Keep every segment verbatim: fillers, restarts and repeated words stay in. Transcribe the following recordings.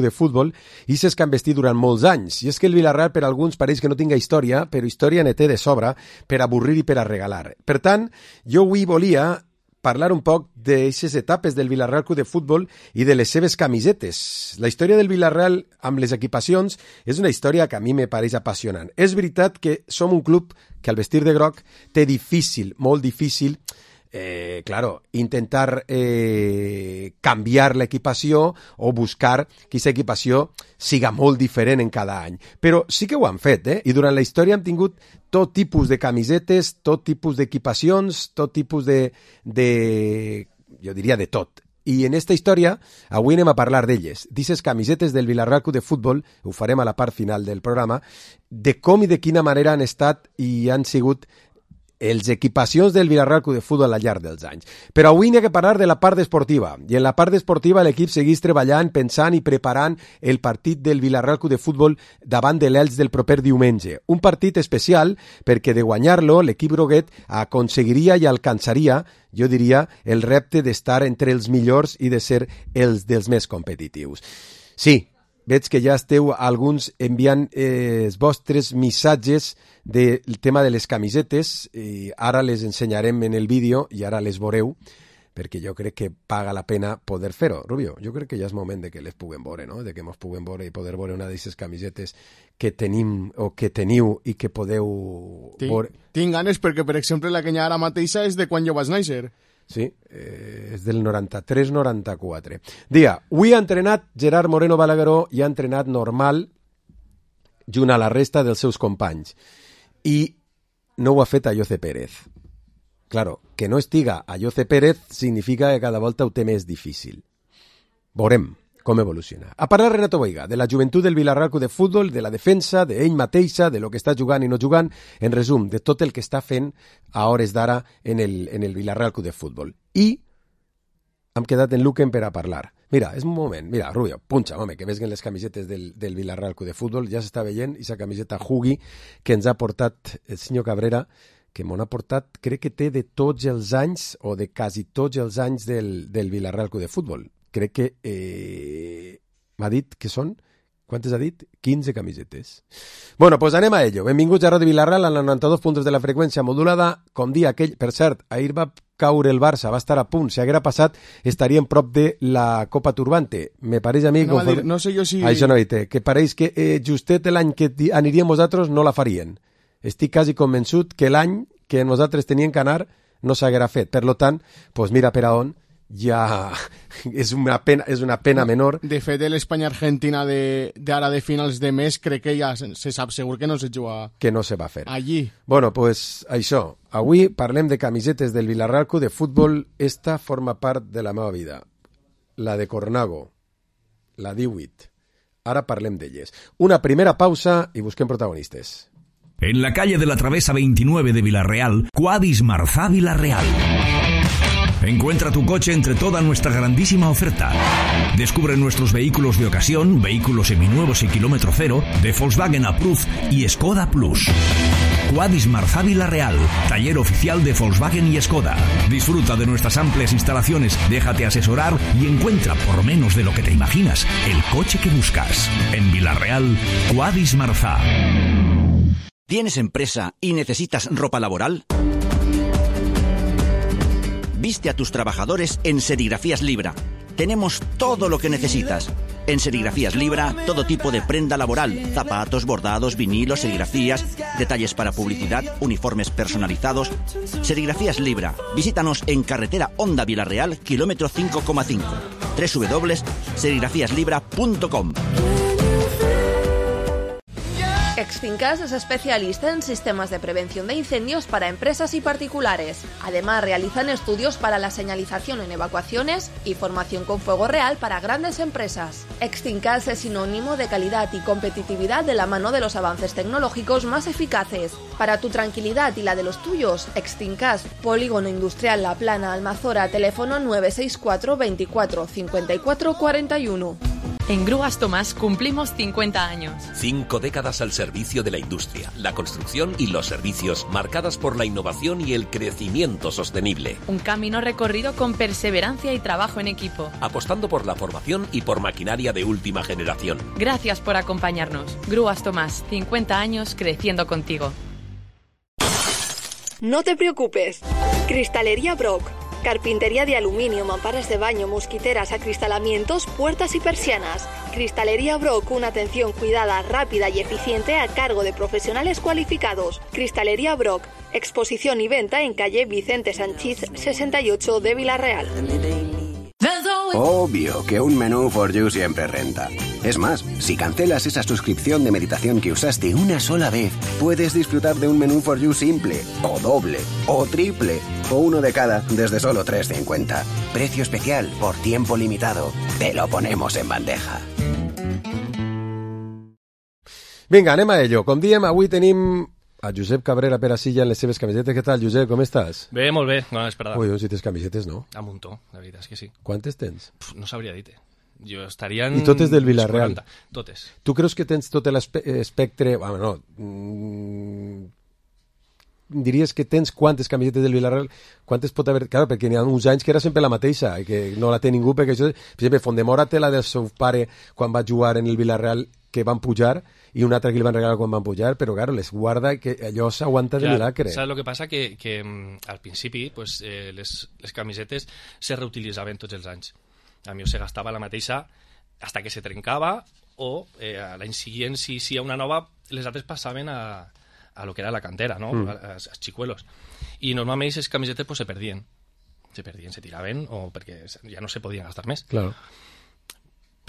de futbol i ses que han vestit durant molts anys. I és que el Villarreal per alguns pareix que no tinga història, però història ne té de sobra per avorrir i per a regalar. Per tant, jo avui volia parlar un poc d'aquestes etapes del Villarreal Club de Futbol i de les seves camisetes. La història del Villarreal amb les equipacions és una història que a mi me pareix apassionant. És veritat que som un club que al vestir de groc té difícil, molt difícil, Eh, claro, intentar eh, canviar l'equipació o buscar que aquesta equipació siga molt diferent en cada any. Però sí que ho han fet, eh? I durant la història hem tingut tot tipus de camisetes, tot tipus d'equipacions, tot tipus de, de... jo diria de tot. I en esta història avui anem a parlar d'elles, d'aquestes camisetes del Villarreal Club de Futbol, ho farem a la part final del programa, de com i de quina manera han estat i han sigut els equipacions del Villarreal Club de Futbol al llarg dels anys. Però avui n'hi ha que parlar de la part esportiva. I en la part esportiva l'equip segueix treballant, pensant i preparant el partit del Villarreal Club de Futbol davant de l'Elx del proper diumenge. Un partit especial perquè de guanyar-lo l'equip groguet aconseguiria i alcançaria, jo diria, el repte d'estar entre els millors i de ser els dels més competitius. Sí, veig que ja esteu alguns enviant eh, els vostres missatges del tema de les camisetes i ara les ensenyarem en el vídeo i ara les veureu perquè jo crec que paga la pena poder fer-ho. Rubio, jo crec que ja és moment de que les puguem veure, no? De que ens puguem veure i poder veure una d'aquestes camisetes que tenim o que teniu i que podeu Tinc, veure. Tinc ganes perquè, per exemple, la que hi ha ara mateixa és de quan jo vaig néixer. Sí, eh, és del noranta-tres noranta-quatre. Dia, avui ha entrenat Gerard Moreno Balagueró i ha entrenat normal junt a la resta dels seus companys. I no ho ha fet a Jose Pérez. Claro, que no estiga a Jose Pérez significa que cada volta ho té més difícil. Veurem com evoluciona. A parlar Renato Boiga, de la joventut del Villarreal Club de Futbol, de la defensa, d'ell mateixa, de lo que està jugant i no jugant, en resum, de tot el que està fent a hores d'ara en el, en el Villarreal Club de Futbol. I hem quedat en Luquen per a parlar. Mira, és un moment, mira, Rubio, punxa, home, que vesguen les camisetes del, del Villarreal Club de Futbol, ja s'està veient, i sa camiseta Hugui que ens ha portat el senyor Cabrera, que m'ho ha portat, crec que té de tots els anys, o de quasi tots els anys del, del Villarreal Club de Futbol. Crec que eh, m'ha dit que són, quantes ha dit? quinze camisetes. Bueno, pues anem a ello. Benvinguts a Ràdio Villarreal, a noranta-dos punts de la freqüència modulada, com dia aquell, per cert, ahir va caure el Barça, va estar a punt, si haguera passat estaríem prop de la Copa Turbante. Me pareix a mi... No, conforme... dir, no sé jo si... Això no, té, que pareix que eh, justet l'any que aniríem nosaltres no la farien. Estic quasi convençut que l'any que nosaltres teníem que anar no s'haguera fet. Per lo tant, pues mira per a on ja és una pena, és una pena menor. De fet, l'Espanya-Argentina d'ara de, de finals de mes crec que ja se sap segur que no se juga... Que no se va fer. Allí. Bueno, pues això. Avui parlem de camisetes del Villarreal Club de Futbol. Esta forma part de la meva vida. La de Cornago. La divuit. Ara parlem d'elles. Una primera pausa i busquem protagonistes. En la calle de la Travesa veintinueve de Villarreal, Quadis Marzá Villarreal. Encuentra tu coche entre toda nuestra grandísima oferta. Descubre nuestros vehículos de ocasión, vehículos seminuevos y kilómetro cero, de Volkswagen Approved y Skoda Plus. Quadis Marzá Villarreal, taller oficial de Volkswagen y Skoda. Disfruta de nuestras amplias instalaciones, déjate asesorar y encuentra, por menos de lo que te imaginas, el coche que buscas. En Villarreal, Quadis Marzá. ¿Tienes empresa y necesitas ropa laboral? Viste a tus trabajadores en Serigrafías Libra. Tenemos todo lo que necesitas. En Serigrafías Libra, todo tipo de prenda laboral, zapatos, bordados, vinilos, serigrafías, detalles para publicidad, uniformes personalizados. Serigrafías Libra. Visítanos en carretera Honda Villarreal, kilómetro cinco coma cinco. doble u doble u doble u punto serigrafías libra punto com. Extinkas es especialista en sistemas de prevención de incendios para empresas y particulares. Además, realizan estudios para la señalización en evacuaciones y formación con fuego real para grandes empresas. Extinkas es sinónimo de calidad y competitividad de la mano de los avances tecnológicos más eficaces. Para tu tranquilidad y la de los tuyos, Extinkas, Polígono Industrial La Plana, Almazora, teléfono nueve seis cuatro veinticuatro cincuenta y cuatro cuarenta y uno. En Grúas Tomás cumplimos cincuenta años. Cinco décadas al servicio de la industria, la construcción y los servicios, marcadas por la innovación y el crecimiento sostenible. Un camino recorrido con perseverancia y trabajo en equipo. Apostando por la formación y por maquinaria de última generación. Gracias por acompañarnos. Grúas Tomás, cincuenta años creciendo contigo. No te preocupes. Cristalería Brock. Carpintería de aluminio, mamparas de baño, mosquiteras, acristalamientos, puertas y persianas. Cristalería Brock, una atención cuidada, rápida y eficiente a cargo de profesionales cualificados. Cristalería Brock, exposición y venta en calle Vicente Sanchís sesenta y ocho de Villarreal. Obvio que un menú For You siempre renta. Es más, si cancelas esa suscripción de meditación que usaste una sola vez, puedes disfrutar de un menú For You simple, o doble, o triple, o uno de cada desde solo tres cincuenta. Precio especial por tiempo limitado. Te lo ponemos en bandeja. Vinga, anem a ello. Com diem, avui tenim a Josep Cabrera per Silla en les seves camisetes. Què tal, Josep? Com estàs? Bé, molt bé. No l'esperava. Ui, doncs si tens camisetes, no? A muntó, la veritat és que sí. Quantes tens? Pff, no sabria dir-te. Jo estaria en... I totes del Villarreal? quaranta. Totes. Tu creus que tens tot l'espectre... Bueno, no... Mm, diries que tens quantes camisetes del Villarreal? Quantes pot haver... Claro, perquè n'hi ha uns anys que era sempre la mateixa, i que no la té ningú, perquè això... Per exemple, Fondemora té la del seu pare quan va jugar en el Villarreal, que van pujar, i una altra que li van regalar quan van pujar, però claro, les guarda que allò s'aguanta de milagre. Saps el que passa? Que, que al principi pues, eh, les, les camisetes se reutilitzaven tots els anys. A mi se gastava la mateixa hasta que se trencava o eh, l'any següent, si, si hi ha una nova, les altres passaven a, a lo que era la cantera, no? Mm. a, a, a xicuelos. I normalment aquestes camisetes pues, se perdien. Se perdien, se tiraven, o perquè ja no se podien gastar més. Claro.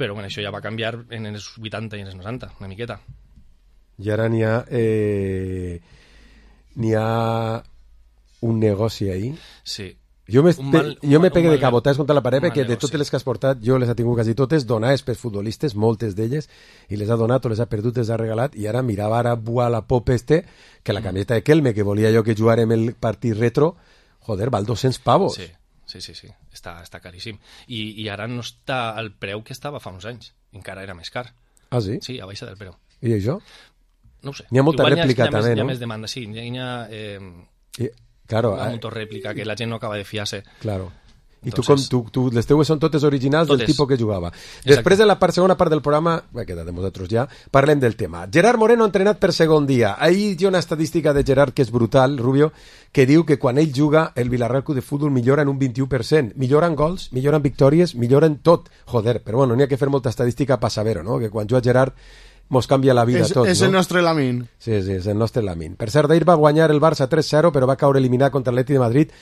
Però bueno, això ja va canviar en els vuitanta i en els noranta, una miqueta. I ara n'hi ha... Eh, n'hi ha un negoci ahí. Sí. Jo me, mal, jo me pegue mal, de cabotats contra la paret perquè de negoci. totes les que has portat jo les ha tingut quasi totes donades per futbolistes, moltes d'elles, i les ha donat o les ha perdut, les ha regalat, i ara mirava ara a la pop este, que la camiseta de Kelme, que volia jo que jugarem el partit retro, joder, val dos-cents pavos. Sí. Sí, sí, sí, està, està caríssim. I, I ara no està al preu que estava fa uns anys. Encara era més car. Ah, sí? Sí, a baixa del preu. I això? No ho sé. N'hi ha molta Igual rèplica hi ha, també, més, no? Hi ha més demanda, sí. Hi ha, eh, I, claro, hi ha eh, molta rèplica que la gent no acaba de fiar-se. Claro. I Entonces, tu, com, tu, tu, les teues són totes originals totes. del tipus que jugava. Exacte. Després, en la part, segona part del programa, bé, quedat de nosaltres ja, parlem del tema. Gerard Moreno entrenat per segon dia. Ahir hi ha una estadística de Gerard que és brutal, Rubio, que diu que quan ell juga, el Villarreal Club de Futbol millora en un vint-i-u per cent. Millora en gols, millora en victòries, millora en tot. Joder, però bueno, n'hi ha que fer molta estadística per saber-ho, no? Que quan juga Gerard mos canvia la vida és, tot, és no? el nostre Lamin. Sí, sí, és el nostre Lamin. Per cert, ahir va guanyar el Barça tres zero, però va caure eliminat contra l'Atleti de Madrid.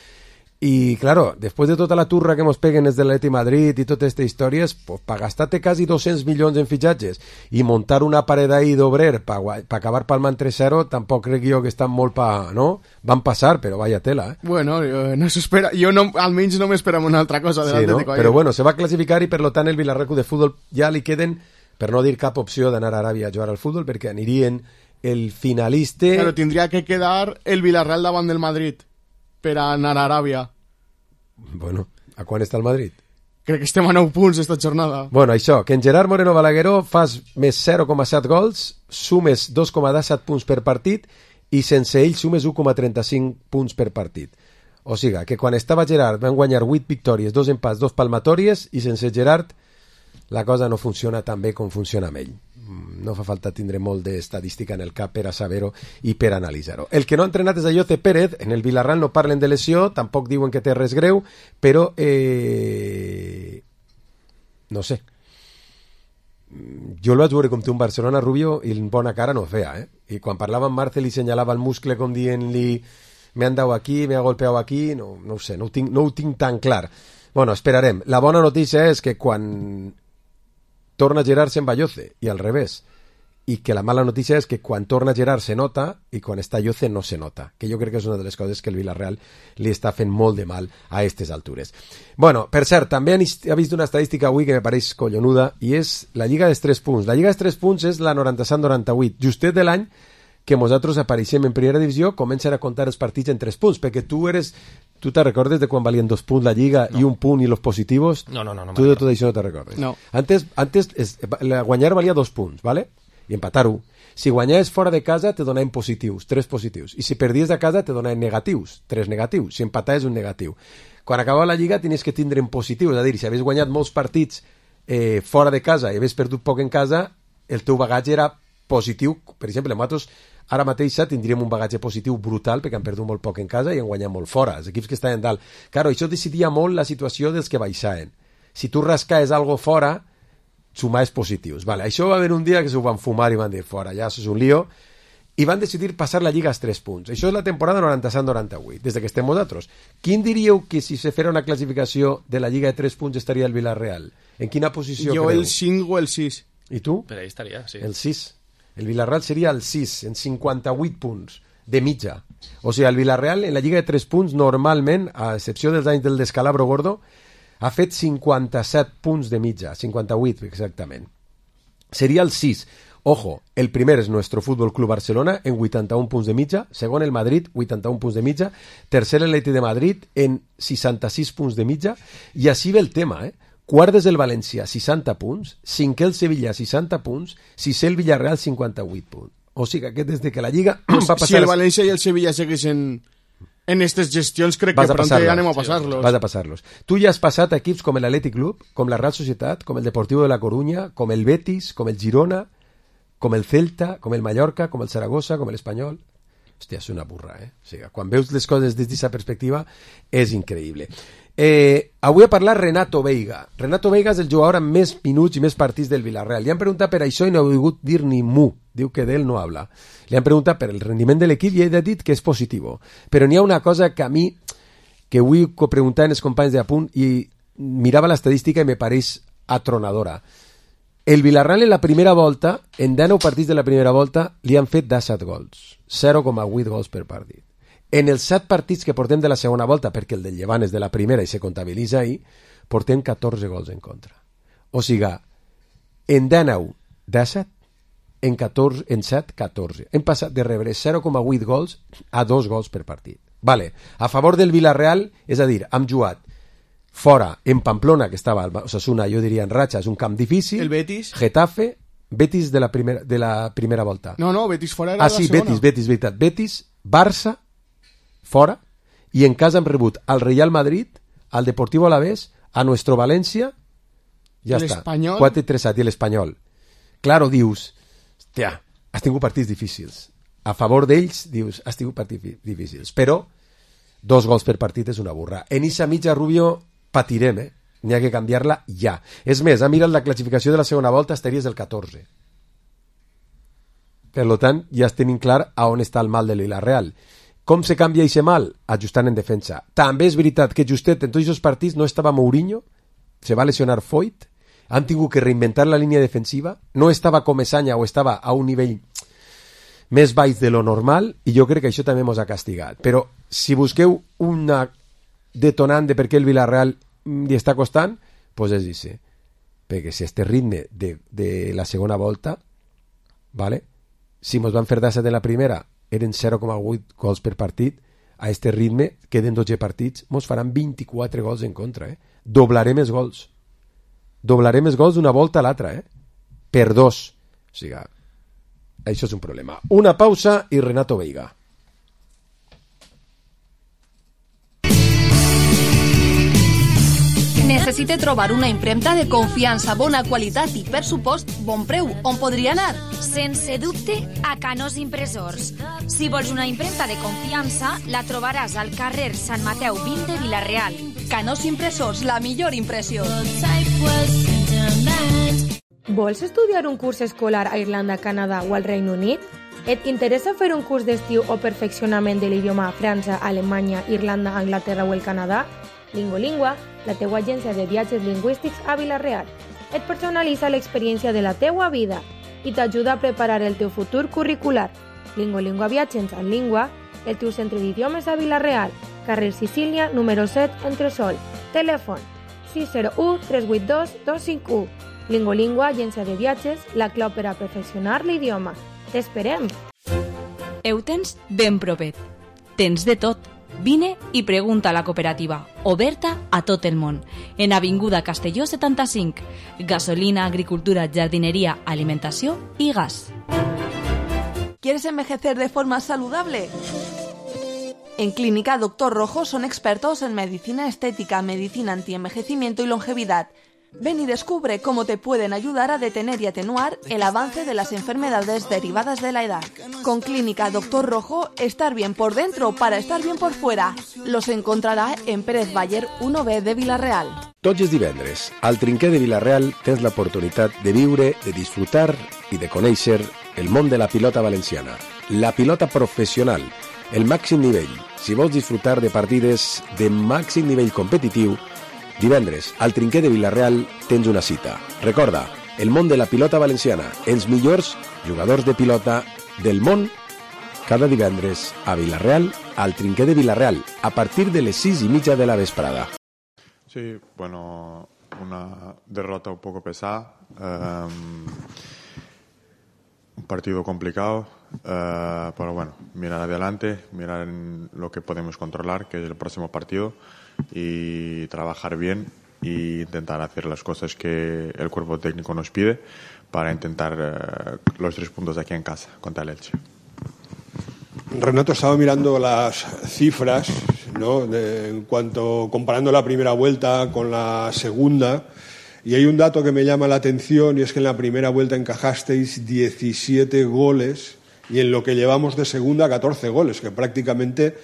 Y claro, después de toda la turra que hemos peguen desde el Atleti Madrid y todas estas historias, pues para gastarte casi doscientos millones en fichajes y montar una pared ahí d'obrer para pa acabar palmant tres zero, tampoc crec jo que estan molt pa... no? Van passar, però vaya tela, eh? Bueno, no s'espera... Jo no, almenys no m'esperava una altra cosa de sí, l'Atlético. No? Però bueno, se va classificar i per lo tant el Villarreal Club de Futbol ja li queden, per no dir cap opció d'anar a Aràbia a jugar al futbol, perquè anirien el finalista... Però tindria que quedar el Villarreal davant del Madrid per anar a Aràbia. Bueno, a quan està el Madrid? Crec que estem a nou punts esta jornada. Bueno, això, que en Gerard Moreno Balagueró fas més zero coma set gols, sumes dos coma disset punts per partit i sense ell sumes u coma trenta-cinc punts per partit. O sigui, que quan estava Gerard van guanyar vuit victòries, dos empats, dos palmatòries, i sense Gerard la cosa no funciona tan bé com funciona amb ell. No fa falta tindre molt d'estadística en el cap per a saber-ho i per analitzar-ho. El que no ha entrenat és Ayoce Pérez. En el Villarreal no parlen de lesió, tampoc diuen que té res greu, però eh... no sé. Jo el vaig veure com té un Barcelona, Rubio, i en bona cara no feia, eh? I quan parlava amb Marcel i senyalava el muscle com dient-li me han dado aquí, me ha golpeado aquí, no, no ho sé, no ho tinc, no ho tinc tan clar. Bueno, esperarem. La bona notícia és que quan torna a Gerard se'n va Ayoce, i al revés. I que la mala notícia és que quan torna Gerard se nota i quan està Ayoce no se nota, que jo crec que és una de les coses que el Villarreal li està fent molt de mal a aquestes altures. Bueno, per cert, també ha vist una estadística avui que me pareix collonuda, i és la Lliga dels tres punts. La Lliga dels tres punts és la noranta-set noranta-vuit, justet de l'any que nosaltres apareixem en primera divisió, comencen a contar els partits en tres punts, perquè tu eres... Tu te recordes de quan valien dos punts la Lliga no. i un punt i los positivos? No, no, no. no tu de tot això no te recordes? No. Antes, antes es, la guanyar valia dos punts, ¿vale? I empatar-ho. Si guanyaves fora de casa, te donaven positius, tres positius. I si perdies de casa, te donaven negatius, tres negatius. Si empataves, un negatiu. Quan acabava la Lliga, tenies que tindre en positius. És a dir, si havies guanyat molts partits eh, fora de casa i havies perdut poc en casa, el teu bagatge era positiu. Per exemple, nosaltres ara mateix tindríem un bagatge positiu brutal perquè han perdut molt poc en casa i han guanyat molt fora. Els equips que estaven dalt. Claro, això decidia molt la situació dels que baixaven. Si tu rascaves algo fora, sumaves positius. Vale, això va haver un dia que s'ho van fumar i van dir fora, ja és un lío, i van decidir passar la Lliga als tres punts. Això és la temporada noranta-set noranta-vuit, des que estem nosaltres. Quin diríeu que si se fera una classificació de la Lliga de tres punts estaria el Villarreal? En quina posició jo creu? El cinc o el sis. I tu? Per ahí estaria, sí. El sis. El Villarreal seria el sis, en cinquanta-vuit punts, de mitja. O sigui, el Villarreal en la Lliga de tres punts normalment, a excepció dels anys del descalabro gordo, ha fet cinquanta-set punts de mitja, cinquanta-vuit exactament. Seria el sis. Ojo, el primer és Nuestro Fútbol Club Barcelona en vuitanta-un punts de mitja, segon el Madrid, vuitanta-un punts de mitja, tercer el Atleti de Madrid en seixanta-sis punts de mitja, i així ve el tema, eh? Quart és el València, seixanta punts, cinquè el Sevilla, seixanta punts, sisè el Villarreal, cinquanta-vuit punts. O sigui que des de que la Lliga va passar... Si el València i el Sevilla segueixen en aquestes gestions, crec que pront ja anem a passar-los. Vas a passar-los. Tu ja has passat equips com l'Atlètic Club, com la Real Societat, com el Deportivo de la Coruña, com el Betis, com el Girona, com el Celta, com el Mallorca, com el Zaragoza, com l'Espanyol. Hòstia, és una burra, eh? O sigui, quan veus les coses des d'aquesta perspectiva, és increïble. Eh, avui ha parlat Renato Veiga. Renato Veiga és el jugador amb més minuts i més partits del Villarreal. Li han preguntat per això i no ha volgut dir ni mu. Diu que d'ell no habla. Li han preguntat per el rendiment de l'equip i ell ha dit que és positiu. Però n'hi ha una cosa que a mi, que vull preguntar als companys d'Apunt, i mirava l'estadística i me pareix atronadora. El Villarreal en la primera volta, en dinou partits de la primera volta, li han fet disset gols. zero coma vuit gols per partit. En els set partits que portem de la segona volta, perquè el del Llevant és de la primera i se comptabilitza ahir, portem catorze gols en contra. O sigui, en dinou, disset, en, catorze, en set, catorze. Hem passat de rebre zero coma vuit gols a dos gols per partit. Vale. A favor del Villarreal, és a dir, hem jugat fora, en Pamplona, que estava al Osasuna, jo diria en ratxa, és un camp difícil. El Betis. Getafe, Betis de la primera, de la primera volta. No, no, Betis fora era ah, la sí, segona. Betis, Betis, veritat. Betis, Barça, fora, i en casa hem rebut al Real Madrid, al Deportivo Alavés, a Nuestro València, ja està. quatre tres set, i l'Espanyol. Claro, dius, hòstia, has tingut partits difícils. A favor d'ells, dius, has tingut partits difícils. Però, dos gols per partit és una burra. En Issa mitja, Rubio, patirem, eh? N'hi ha que canviar-la ja. És més, ha mirat la classificació de la segona volta, estaries el catorze. Per tant, ja tenim clar a on està el mal de Villarreal. Com se canvia aquest mal? Ajustant en defensa. També és veritat que justet en tots aquests partits no estava Mourinho, se va lesionar Foyt, han tingut que reinventar la línia defensiva, no estava Comesaña o estava a un nivell més baix de lo normal, i jo crec que això també ens ha castigat. Però si busqueu una detonant de per què el Villarreal li està costant, doncs és això. Perquè si este ritme de, de la segona volta, vale? Si ens van fer disset en la primera, eren zero coma vuit gols per partit, a este ritme, queden dotze partits, ens faran vint-i-quatre gols en contra. Eh? Doblarem els gols. Doblarem els gols d'una volta a l'altra, eh? Per dos. O sigui, això és un problema. Una pausa i Renato Veiga. Necessita trobar una impremta de confiança, bona qualitat i, per supost, bon preu. On podria anar? Sense dubte, a Canós Impressors. Si vols una impremta de confiança, la trobaràs al carrer Sant Mateu vint de Vila-real. Canós Impressors, la millor impressió. Vols estudiar un curs escolar a Irlanda, Canadà o al Regne Unit? Et interessa fer un curs d'estiu o perfeccionament de l'idioma a França, Alemanya, Irlanda, Anglaterra o el Canadà? Lingolingua, la teua agència de viatges lingüístics a Vila-real. Et personalitza l'experiència de la teua vida i t'ajuda a preparar el teu futur curricular. Lingolingua Viatges en Língua, el teu centre d'idiomes a Vila-real, carrer Sicília, número set, Entresol. Telèfon sis zero u tres vuit dos dos cinc u. Lingolingua, agència de viatges, la clau per a perfeccionar l'idioma. T'esperem! Ho tens ben propet. Tens de tot. Vine i pregunta a la cooperativa, oberta a tot el món, en Avinguda Castelló setanta-cinc. Gasolina, agricultura, jardineria, alimentació i gas. ¿Quieres envejecer de forma saludable? En Clínica Doctor Rojo son expertos en medicina estética, medicina antienvejecimiento y longevidad. Ven y descubre cómo te pueden ayudar a detener y atenuar el avance de las enfermedades derivadas de la edad. Con Clínica Doctor Rojo, estar bien por dentro para estar bien por fuera. Los encontrarà en Pérez Bayer uno B de Vila-real. Tots els divendres, al Trinquer de Vila-real tens l'oportunitat de viure, de disfrutar i de conèixer el món de la pilota valenciana. La pilota professional, el màxim nivell. Si vols disfrutar de partides de màxim nivell competitiu, divendres, al Trinquer de Vila-real tens una cita. Recorda, el món de la pilota valenciana, els millors jugadors de pilota del món, cada divendres a Vila-real, al Trinquer de Vila-real, a partir de les sis y mitja de la vesprada. Sí, bueno, una derrota un poco pesada, eh, un partido complicado, eh, pero bueno, mirar adelante, mirar en lo que podemos controlar, que es el próximo partido, y trabajar bien e intentar hacer las cosas que el cuerpo técnico nos pide para intentar eh, los tres puntos aquí en casa contra el Elche. Renato, estaba mirando las cifras, ¿no? De, en cuanto comparando la primera vuelta con la segunda, y hay un dato que me llama la atención, y es que en la primera vuelta encajasteis diecisiete goles y en lo que llevamos de segunda catorce goles, que prácticamente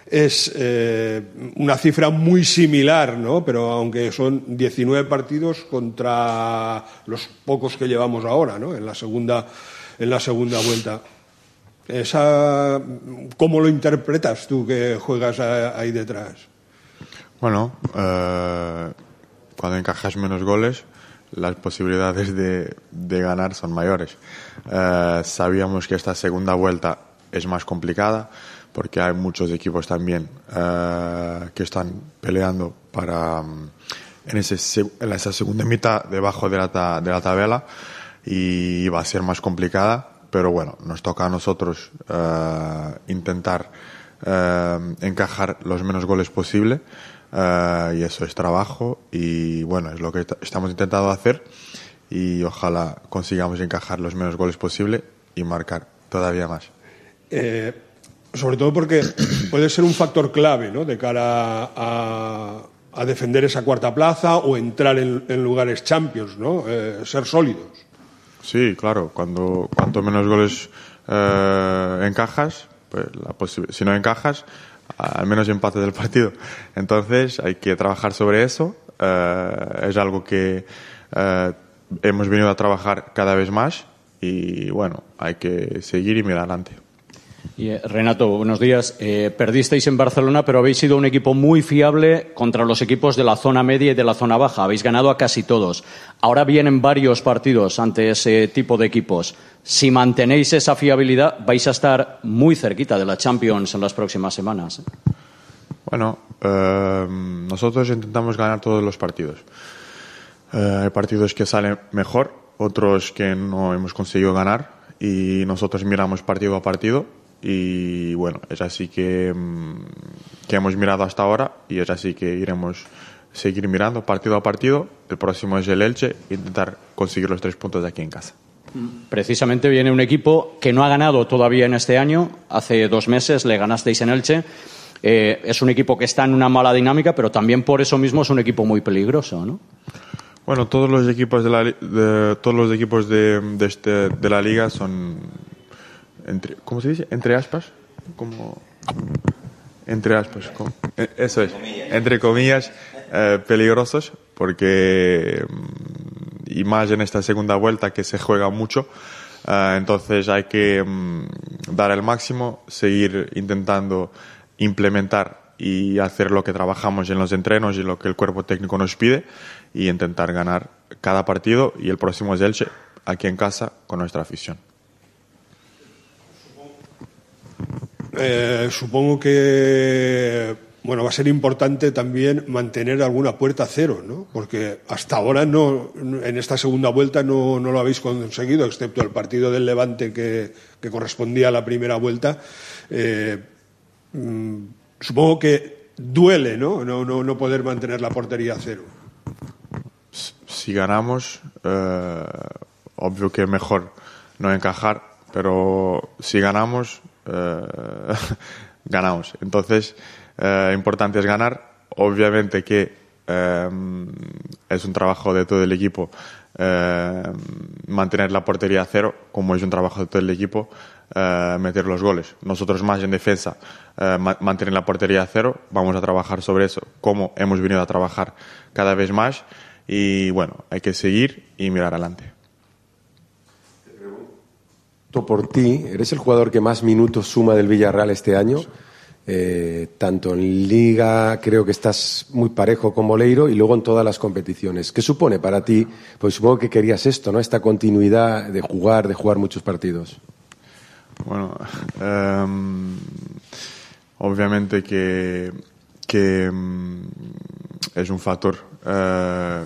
es eh, una cifra muy similar, ¿no? Pero aunque son diecinueve partidos contra los pocos que llevamos ahora, ¿no? En la segunda, en la segunda vuelta. Esa, ¿cómo lo interpretas tú que juegas ahí detrás? Bueno, eh, cuando encajas menos goles, las posibilidades de, de ganar son mayores. Eh, sabíamos que esta segunda vuelta es más complicada, porque hay muchos equipos también uh, que están peleando para um, en, ese, en esa segunda mitad debajo de la, ta, de la tabla, y va a ser más complicada, pero bueno, nos toca a nosotros uh, intentar uh, encajar los menos goles posible, uh, y eso es trabajo, y bueno, es lo que estamos intentando hacer, y ojalá consigamos encajar los menos goles posible y marcar todavía más. Eh... Sobre todo porque puede ser un factor clave, ¿no? De cara a, a defender esa cuarta plaza o entrar en, en lugares champions, ¿no? Eh, ser sólidos. Sí, claro. Cuando cuanto menos goles eh, encajas, pues la si no encajas, al menos empate del partido. Entonces hay que trabajar sobre eso. Eh, es algo que eh, hemos venido a trabajar cada vez más, y bueno, hay que seguir y mirar adelante. Y, eh, Renato, buenos días. Eh, perdisteis en Barcelona, pero habéis sido un equipo muy fiable contra los equipos de la zona media y de la zona baja. Habéis ganado a casi todos. Ahora vienen varios partidos ante ese tipo de equipos. Si mantenéis esa fiabilidad, vais a estar muy cerquita de la Champions en las próximas semanas. Bueno, eh, nosotros intentamos ganar todos los partidos. Eh, hay partidos que salen mejor, otros que no hemos conseguido ganar, y nosotros miramos partido a partido. Y bueno, es así que, que hemos mirado hasta ahora, y es así que iremos seguir mirando partido a partido. El próximo es el Elche, e intentar conseguir los tres puntos de aquí en casa. Precisamente viene un equipo que no ha ganado todavía en este año. Hace dos meses le ganasteis en Elche. Eh, es un equipo que está en una mala dinámica, pero también por eso mismo es un equipo muy peligroso, ¿no? Bueno, todos los equipos de la, de, todos los equipos de, de, este, de la liga son... Entre, ¿cómo se dice? Entre aspas, como entre aspas, como, eso es, entre comillas, eh, peligrosos, porque y más en esta segunda vuelta que se juega mucho, eh, entonces hay que um, dar el máximo, seguir intentando implementar y hacer lo que trabajamos en los entrenos y lo que el cuerpo técnico nos pide, y intentar ganar cada partido, y el próximo es Elche, aquí en casa, con nuestra afición. Eh, supongo que bueno, va a ser importante también mantener alguna puerta a cero, ¿no? Porque hasta ahora no, en esta segunda vuelta no, no lo habéis conseguido, excepto el partido del Levante que, que correspondía a la primera vuelta. Eh, mmm, supongo que duele, ¿no? No, no, no poder mantener la portería a cero. Si ganamos, eh, obvio que mejor no encajar, pero si ganamos, eh, ganamos. Entonces, eh, importante es ganar. Obviamente que eh, es un trabajo de todo el equipo eh, mantener la portería a cero, como es un trabajo de todo el equipo eh, meter los goles. Nosotros más en defensa, eh, ma- mantener la portería a cero, vamos a trabajar sobre eso, como hemos venido a trabajar cada vez más. Y bueno, hay que seguir y mirar adelante. Por ti, eres el jugador que más minutos suma del Villarreal este año. Eh, tanto en Liga, creo que estás muy parejo con Boleiro, y luego en todas las competiciones. ¿Qué supone para ti? Pues supongo que querías esto, ¿no? Esta continuidad de jugar, de jugar muchos partidos. Bueno, eh, obviamente que, que um, es un factor eh,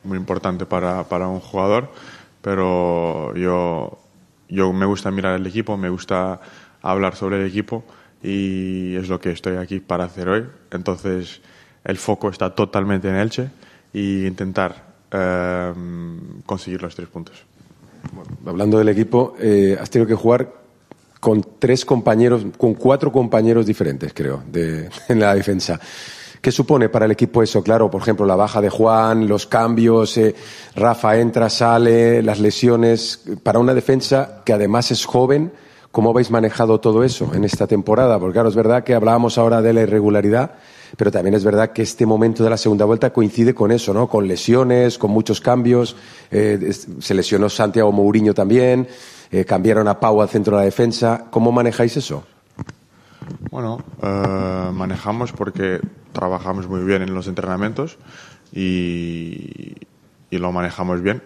muy importante para, para un jugador, pero yo, yo me gusta mirar el equipo, me gusta hablar sobre el equipo, y es lo que estoy aquí para hacer hoy. Entonces el foco está totalmente en Elche y intentar eh, conseguir los tres puntos. Bueno, hablando del equipo, eh, has tenido que jugar con tres compañeros, con cuatro compañeros diferentes, creo, de, en la defensa. ¿Qué supone para el equipo eso? Claro, por ejemplo, la baja de Juan, los cambios, eh, Rafa entra, sale, las lesiones. Para una defensa que además es joven, ¿cómo habéis manejado todo eso en esta temporada? Porque claro, es verdad que hablábamos ahora de la irregularidad, pero también es verdad que este momento de la segunda vuelta coincide con eso, ¿no? Con lesiones, con muchos cambios. Eh, se lesionó Santiago Mourinho también, eh, cambiaron a Pau al centro de la defensa. ¿Cómo manejáis eso? Bueno, eh, manejamos porque trabajamos muy bien en los entrenamientos y, y lo manejamos bien.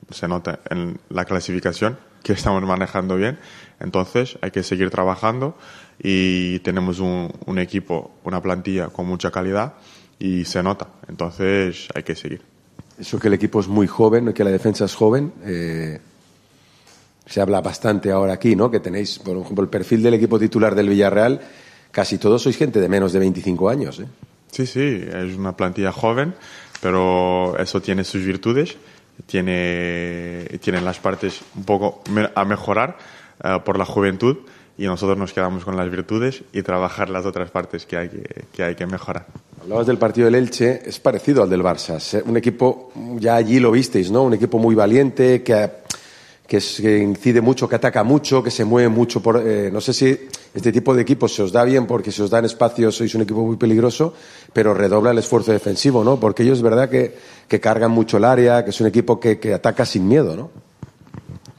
Se nota en la clasificación que estamos manejando bien. Entonces hay que seguir trabajando y tenemos un, un equipo, una plantilla con mucha calidad y se nota. Entonces hay que seguir. Eso que el equipo es muy joven, que la defensa es joven, eh, se habla bastante ahora aquí, ¿no? Que tenéis, por ejemplo, el perfil del equipo titular del Villarreal, casi todos sois gente de menos de veinticinco años, ¿eh? Sí, sí, es una plantilla joven, pero eso tiene sus virtudes, tiene, tiene las partes un poco a mejorar uh, por la juventud, y nosotros nos quedamos con las virtudes y trabajar las otras partes que hay que, que, hay que mejorar. Hablabas del partido del Elche, es parecido al del Barça, un equipo, ya allí lo visteis, ¿no? Un equipo muy valiente, que... que, es, que incide mucho, que ataca mucho, que se mueve mucho. Por, eh, no sé si este tipo de equipos se os da bien porque se os dan espacios, sois un equipo muy peligroso, pero redobla el esfuerzo defensivo, ¿no? Porque ellos es verdad que, que cargan mucho el área, que es un equipo que, que ataca sin miedo, ¿no?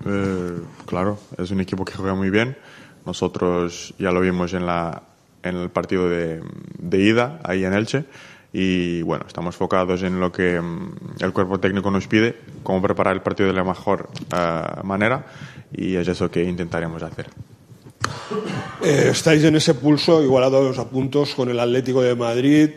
Eh, claro, es un equipo que juega muy bien. Nosotros ya lo vimos en, la, en el partido de, de ida, ahí en Elche. Y bueno, estamos enfocados en lo que um, el cuerpo técnico nos pide, cómo preparar el partido de la mejor uh, manera, y es eso que intentaremos hacer. Eh, estáis en ese pulso, igualados a puntos con el Atlético de Madrid.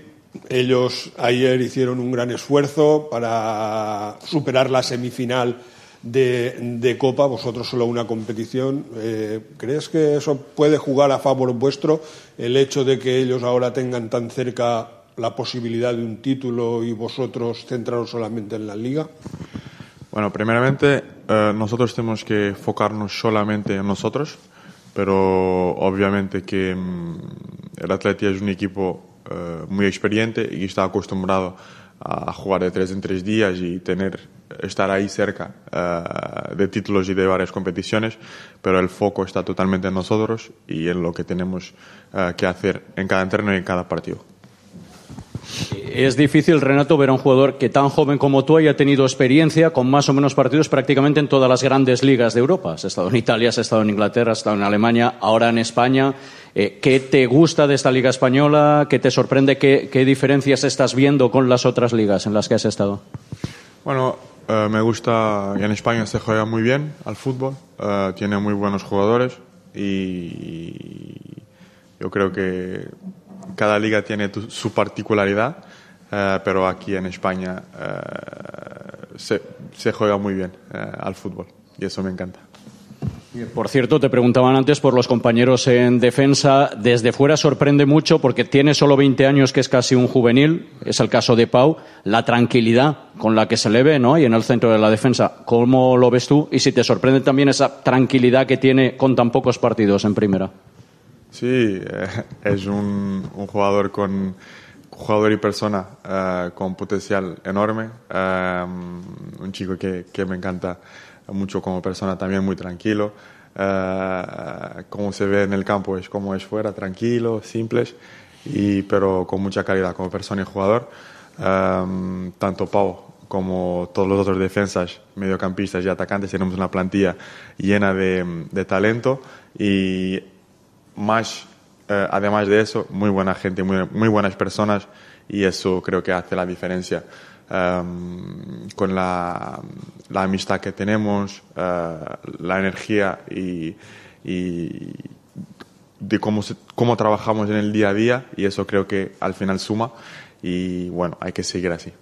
Ellos ayer hicieron un gran esfuerzo para superar la semifinal de, de Copa, vosotros solo una competición. Eh, ¿Crees que eso puede jugar a favor vuestro, el hecho de que ellos ahora tengan tan cerca la posibilidad de un título y vosotros centraros solamente en la Liga? Bueno, primeramente eh, nosotros tenemos que enfocarnos solamente en nosotros, pero obviamente que mm, el Atleti es un equipo eh, muy experiente y está acostumbrado a jugar de tres en tres días y tener estar ahí cerca uh, de títulos y de varias competiciones, pero el foco está totalmente en nosotros y en lo que tenemos uh, que hacer en cada entreno y en cada partido. Es difícil, Renato, ver a un jugador que tan joven como tú haya tenido experiencia con más o menos partidos prácticamente en todas las grandes ligas de Europa. Has estado en Italia, has estado en Inglaterra, has estado en Alemania, ahora en España. Eh, ¿Qué te gusta de esta liga española? ¿Qué te sorprende? ¿Qué, qué diferencias estás viendo con las otras ligas en las que has estado? Bueno, eh, me gusta, en España se juega muy bien al fútbol, eh, tiene muy buenos jugadores y yo creo que cada liga tiene tu, su particularidad, eh, pero aquí en España eh, se, se juega muy bien eh, al fútbol y eso me encanta. Por cierto, te preguntaban antes por los compañeros en defensa. Desde fuera sorprende mucho porque tiene solo veinte años, que es casi un juvenil. Es el caso de Pau. La tranquilidad con la que se le ve, ¿no? Y en el centro de la defensa. ¿Cómo lo ves tú? Y si te sorprende también esa tranquilidad que tiene con tan pocos partidos en primera. Sí, eh, es un, un jugador con jugador y persona eh, con potencial enorme. Eh, un chico que, que me encanta mucho como persona, también muy tranquilo. Uh, como se ve en el campo es como es fuera, tranquilo, simples, y, pero con mucha calidad como persona y jugador. Um, tanto Pau como todos los otros defensas, mediocampistas y atacantes tenemos una plantilla llena de, de talento y más, uh, además de eso, muy buena gente, muy, muy buenas personas, y eso creo que hace la diferencia. Um, con la, la amistad que tenemos, uh, la energía y, y de cómo, se, cómo trabajamos en el día a día, y eso creo que al final suma, y bueno, hay que seguir así.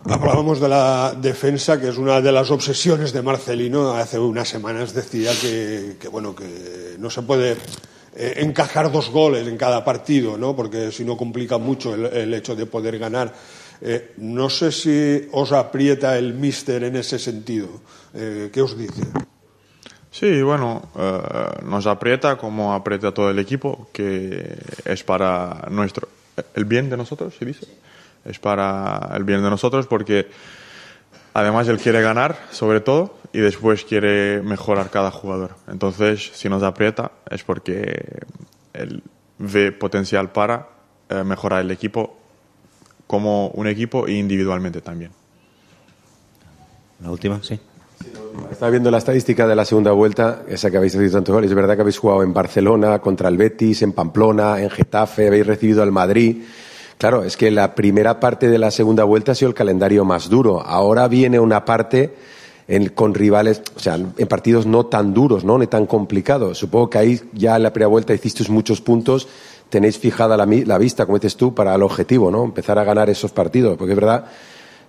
Hablábamos de la defensa, que es una de las obsesiones de Marcelino. Hace unas semanas decía que, que bueno, que no se puede eh, encajar dos goles en cada partido, ¿no? Porque si no complica mucho el, el hecho de poder ganar. Eh, no sé si os aprieta el míster en ese sentido. Eh, ¿Qué os dice? Sí, bueno, uh, nos aprieta como aprieta todo el equipo, que es para nuestro el bien de nosotros, se dice. Es para el bien de nosotros porque además él quiere ganar, sobre todo, y después quiere mejorar cada jugador. Entonces, si nos aprieta es porque él ve potencial para uh, mejorar el equipo como un equipo e individualmente también. La última, sí. Estaba viendo la estadística de la segunda vuelta, esa que habéis recibido tantos goles. Es verdad que habéis jugado en Barcelona, contra el Betis, en Pamplona, en Getafe, habéis recibido al Madrid. Claro, es que la primera parte de la segunda vuelta ha sido el calendario más duro. Ahora viene una parte en, con rivales, o sea, en partidos no tan duros, ¿no? Ni tan complicados. Supongo que ahí ya en la primera vuelta hicisteis muchos puntos. Tenéis fijada la, la vista, como dices tú, para el objetivo, ¿no? Empezar a ganar esos partidos, porque es verdad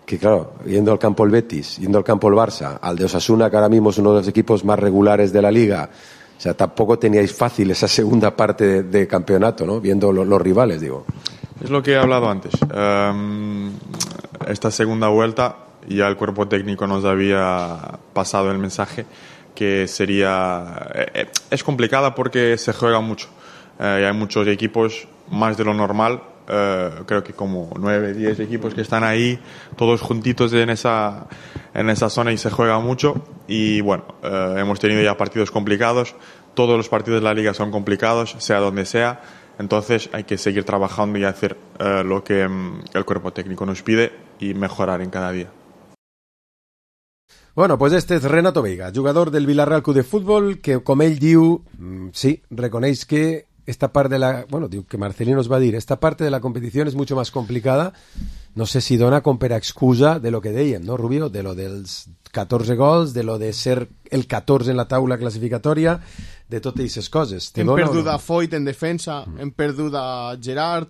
que, claro, yendo al campo el Betis, yendo al campo el Barça, al de Osasuna, que ahora mismo es uno de los equipos más regulares de la Liga, o sea, tampoco teníais fácil esa segunda parte de, de campeonato, ¿no? Viendo lo, los rivales, digo. Es lo que he hablado antes. Um, esta segunda vuelta ya el cuerpo técnico nos había pasado el mensaje que sería... Eh, es complicada porque se juega mucho. Eh, hay muchos equipos, más de lo normal, eh, creo que como nueve, diez equipos que están ahí, todos juntitos en esa, en esa zona, y se juega mucho. Y bueno, eh, hemos tenido ya partidos complicados, todos los partidos de la Liga son complicados, sea donde sea, entonces hay que seguir trabajando y hacer eh, lo que um, el cuerpo técnico nos pide y mejorar en cada día. Bueno, pues este és Renato Veiga, jugador del Villarreal Club de Fútbol, que, com ell diu, sí, reconeix que esta parte de la... Bueno, diu que Marcelino nos va a decir, esta parte de la competición es mucho más complicada. No sé si dona com per excusa de lo que dèiem, no, Rubio? De lo dels catorze gols, de lo de ser el catorze en la taula classificatòria, de totes aquestes coses. Hem perdut a Foyt en defensa, mm. hem perdut a Gerard,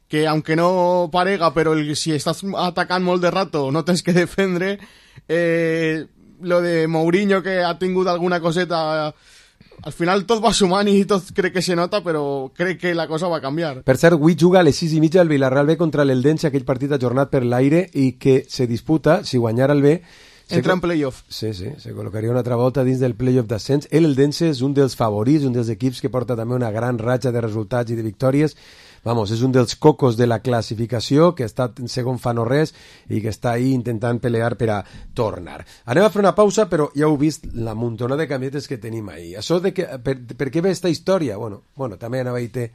que aunque no parega, però el, si estàs atacant molt de rato no tens que defendre. Eh, lo de Mourinho, que ha tingut alguna coseta... Al final tot va sumant i tot crec que se nota, però crec que la cosa va canviar. Per cert, avui juga a les sis i mitja el Villarreal B contra l'Eldense, aquell partit ajornat per l'aire i que se disputa, si guanyara el B... Entra en playoff. Sí, sí, se col·locaria una altra volta dins del playoff d'ascens. El Eldense és un dels favorits, un dels equips que porta també una gran ratxa de resultats i de victòries. Vamos, és un dels cocos de la classificació, que està en segon fa no res i que està ahí intentant pelear per a tornar. Anem a fer una pausa, però ja heu vist la muntona de camionetes que tenim ahí. Això de que, per, per què ve esta història? Bueno, bueno també anava a dir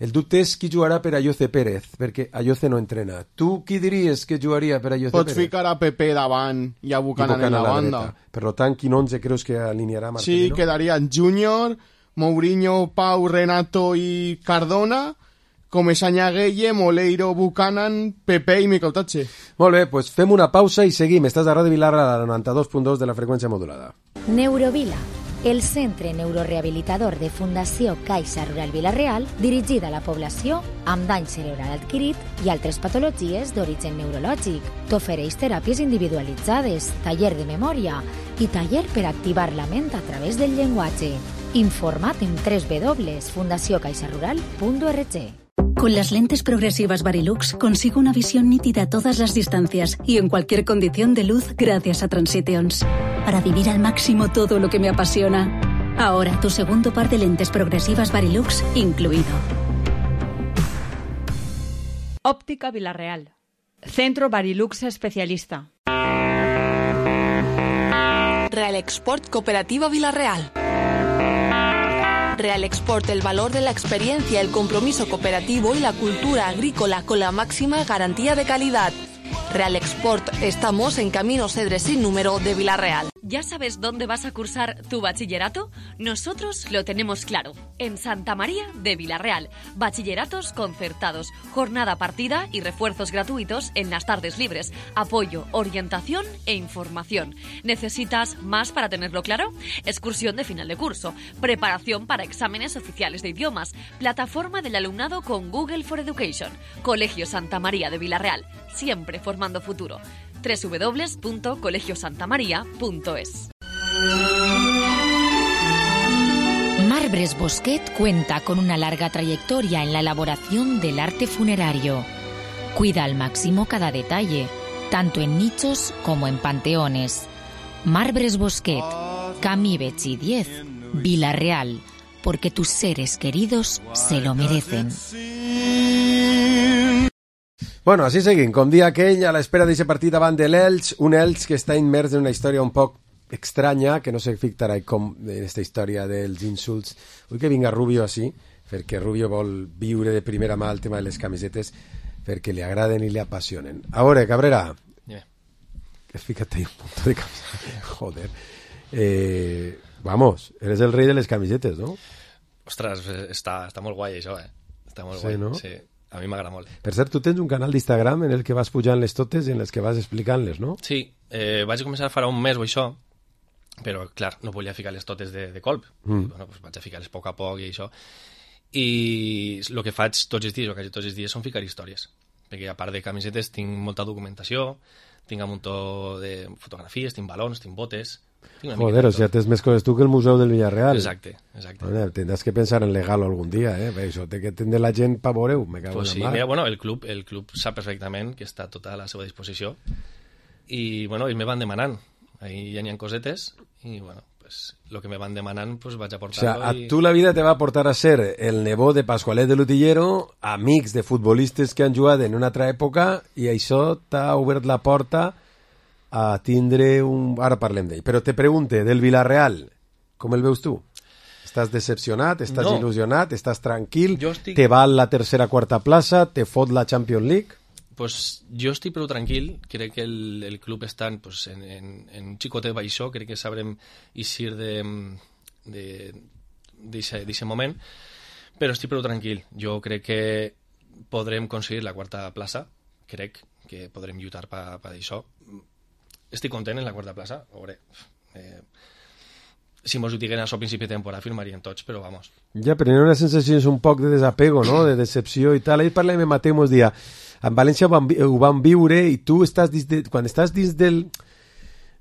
el dubte és qui jugarà per Ayoce Pérez, perquè Ayoce no entrena. Tu qui diries que jugaria per Ayoce Pots Pérez? Pots ficar a Pepe davant i a Buchanan, I Buchanan en la, la banda. Dreta. Per tant, quin onze creus que alinearà Marcelino? Sí, quedarien Júnior, Mourinho, Pau, Renato i Cardona, Comesaña, Gueye, Moleiro, Buchanan, Pepe i Micautache. Molt bé, doncs fem una pausa i seguim. Estàs a Ràdio Villarreal a la noranta-dos punt dos de la freqüència modulada. Neurovila, el centre neurorehabilitador de Fundació Caixa Rural Vila-real, dirigida a la població amb dany cerebral adquirit i altres patologies d'origen neurològic. T'ofereix teràpies individualitzades, taller de memòria i taller per activar la ment a través del llenguatge. Informa't en doble u doble u doble u punto fundació caixa rural punto org. Con las lentes progresivas Varilux consigo una visión nítida a todas las distancias y en cualquier condición de luz gracias a Transitions. Para vivir al máximo todo lo que me apasiona. Ahora tu segundo par de lentes progresivas Varilux incluido. Óptica Villarreal. Centro Varilux especialista. Real Export Cooperativa Villarreal. Real Export, el valor de la experiencia, el compromiso cooperativo y la cultura agrícola con la máxima garantía de calidad. Real Export, estamos en Camino Cedres sin número de Villarreal. ¿Ya sabes dónde vas a cursar tu bachillerato? Nosotros lo tenemos claro. En Santa María de Villarreal. Bachilleratos concertados, jornada partida y refuerzos gratuitos en las tardes libres. Apoyo, orientación e información. ¿Necesitas más para tenerlo claro? Excursión de final de curso. Preparación para exámenes oficiales de idiomas. Plataforma del alumnado con Google for Education. Colegio Santa María de Villarreal. Siempre formando futuro. doble u doble u doble u punto colegio santa maría punto es. Marbres Bosquet cuenta con una larga trayectoria en la elaboración del arte funerario. Cuida al máximo cada detalle, tanto en nichos como en panteones. Marbres Bosquet, Camí Betxí diez, Villarreal, porque tus seres queridos se lo merecen. Bueno, així seguim. Com dia aquell, a l'espera d'aquest partit davant de l'Elx, un Elx que està immers en una història un poc estranya, que no sé fictarà com en aquesta història dels insults. Vull que vinga Rubio així, perquè Rubio vol viure de primera mà el tema de les camisetes, perquè li agraden i li apassionen. A veure, Cabrera, yeah. Fíjate ahí un punto de camiseta. Joder. Eh, vamos, eres el rei de les camisetes, ¿no? Ostres, està, està molt guai això, eh? Està molt Sí, guai, no? sí. A mi m'agrada molt. Per cert, tu tens un canal d'Instagram en el que vas pujant les totes i en els que vas explicant-les, no? Sí, eh, vaig començar farà un mes o això, però, clar, no volia ficar les totes de, de colp. Mm. Bueno, pues vaig a ficar-les a poc a poc i això. I el que faig tots els dies, o quasi tots els dies, són ficar històries. Perquè, a part de camisetes, tinc molta documentació, tinc un muntó de fotografies, tinc balons, tinc botes... Tinc Joder, o sea, tens més coses tu que el Museu del Villarreal. Exacte, exacte. Bueno, tendràs que pensar en legal algun dia, eh? Això té que tindre la gent pa veure-ho, me cago Pues en sí, la mar. mira, bueno, el club, el club sap perfectament que està tota a la seva disposició i, bueno, ells me van demanant. Ahí ja n'hi ha cosetes i, bueno, pues, lo que me van demanant, pues vaig a O portar-lo. sea, a i... tu la vida te va portar a ser el nebot de Pascualet de l'Utillero, amics de futbolistes que han jugat en una altra època, i això t'ha obert la porta a tindre un... Ara parlem d'ell. Però te pregunte, del Villarreal, com el veus tu? Estàs decepcionat? Estàs No. il·lusionat? Estàs tranquil? Jo estic- Te val la tercera quarta plaça? Te fot la Champions League? Pues jo estic prou tranquil, crec que el, el club està pues, en, en, en un xicotet baixó, crec que sabrem eixir de d'aquest moment, però estic prou tranquil. Jo crec que podrem aconseguir la quarta plaça, crec que podrem lluitar per pa això. Estic content en la quarta plaça, a veure, eh, si mos ho diguen això a principi de temporada firmarien tots, però vamos. Ja, però hi ha una sensació un poc de desapego, no? De decepció i tal. Ahir parlem amb Mateu, mos dia, en València ho van, vi- ho van viure i tu estàs dins de, quan estàs dins del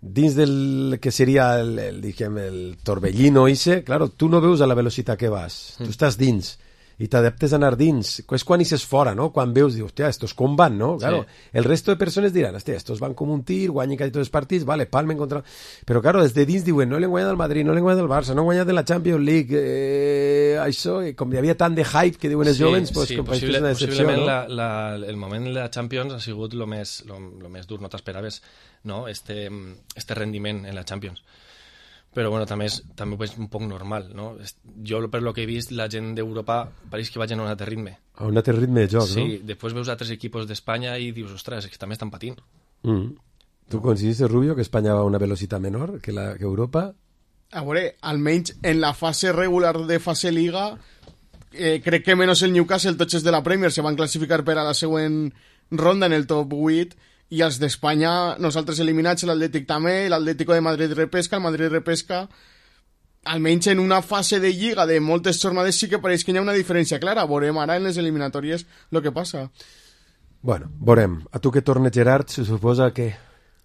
dins del que seria el, el, diguem, el torbellino ese, claro, tu no veus a la velocitat que vas, tu estàs dins i t'adaptes a anar dins, és quan ixes fora, no? Quan veus, dius, hòstia, estos com van, no? Claro, Sí. el resto de persones diran, hòstia, estos van com un tir, guanyen quasi tots els partits, vale, palmen contra... Però, claro, des de dins diuen, no l'hem guanyat el Madrid, no l'hem guanyat el Barça, no hem guanyat de la Champions League, eh, això, i com hi havia tant de hype que diuen els jovens, pues, sí, com possible, és una decepció, possiblement no? la, la, el moment de la Champions ha sigut el més, lo, lo més dur, no t'esperaves, no? Este, este rendiment en la Champions. Però bueno, també és, també és un poc normal, no? Es- Jo, per lo que he vist, la gent d'Europa pareix que vagin a un altre ritme. A un altre ritme de joc, Sí, no? després veus altres equipos d'Espanya i dius, ostres, és que també estan patint. Mm. Tu consideres, Rubio, que Espanya va a una velocitat menor que, la, que Europa? A veure, almenys en la fase regular de fase Liga, eh, crec que menys el Newcastle, tots els de la Premier se van classificar per a la següent ronda en el top vuit, i els d'Espanya, nosaltres eliminats, l'Atlètic també, l'Atlético de Madrid repesca, el Madrid repesca, almenys en una fase de lliga de moltes jornades sí que pareix que hi ha una diferència clara. Veurem ara en les eliminatòries el que passa. Bueno, veurem. A tu que tornes, Gerard, se suposa que...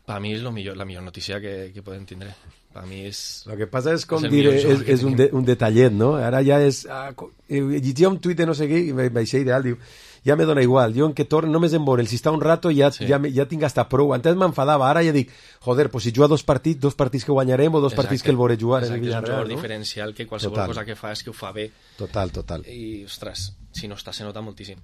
Per mi és lo millor, la millor notícia que, que podem tindre. Per mi és... Lo que passa és, com és dir, és, és un, de, un detallet, no? Ara ja és... Ah, llegia un tuit de no sé què i vaig ser ideal, diu, ja me dona igual, jo en que torno, només em veure, si està un rato ja, sí. ja, ja tinc hasta prou. Antes m'enfadava, ara ja dic, joder, pues si juga dos partits, dos partits que guanyarem o dos exacte, partits que el veuré jugar exacte, en el Villarreal, és un jugador no? diferencial que qualsevol total. Cosa que fa és que ho fa bé. Total, total. I, ostres, si no està, se nota moltíssim.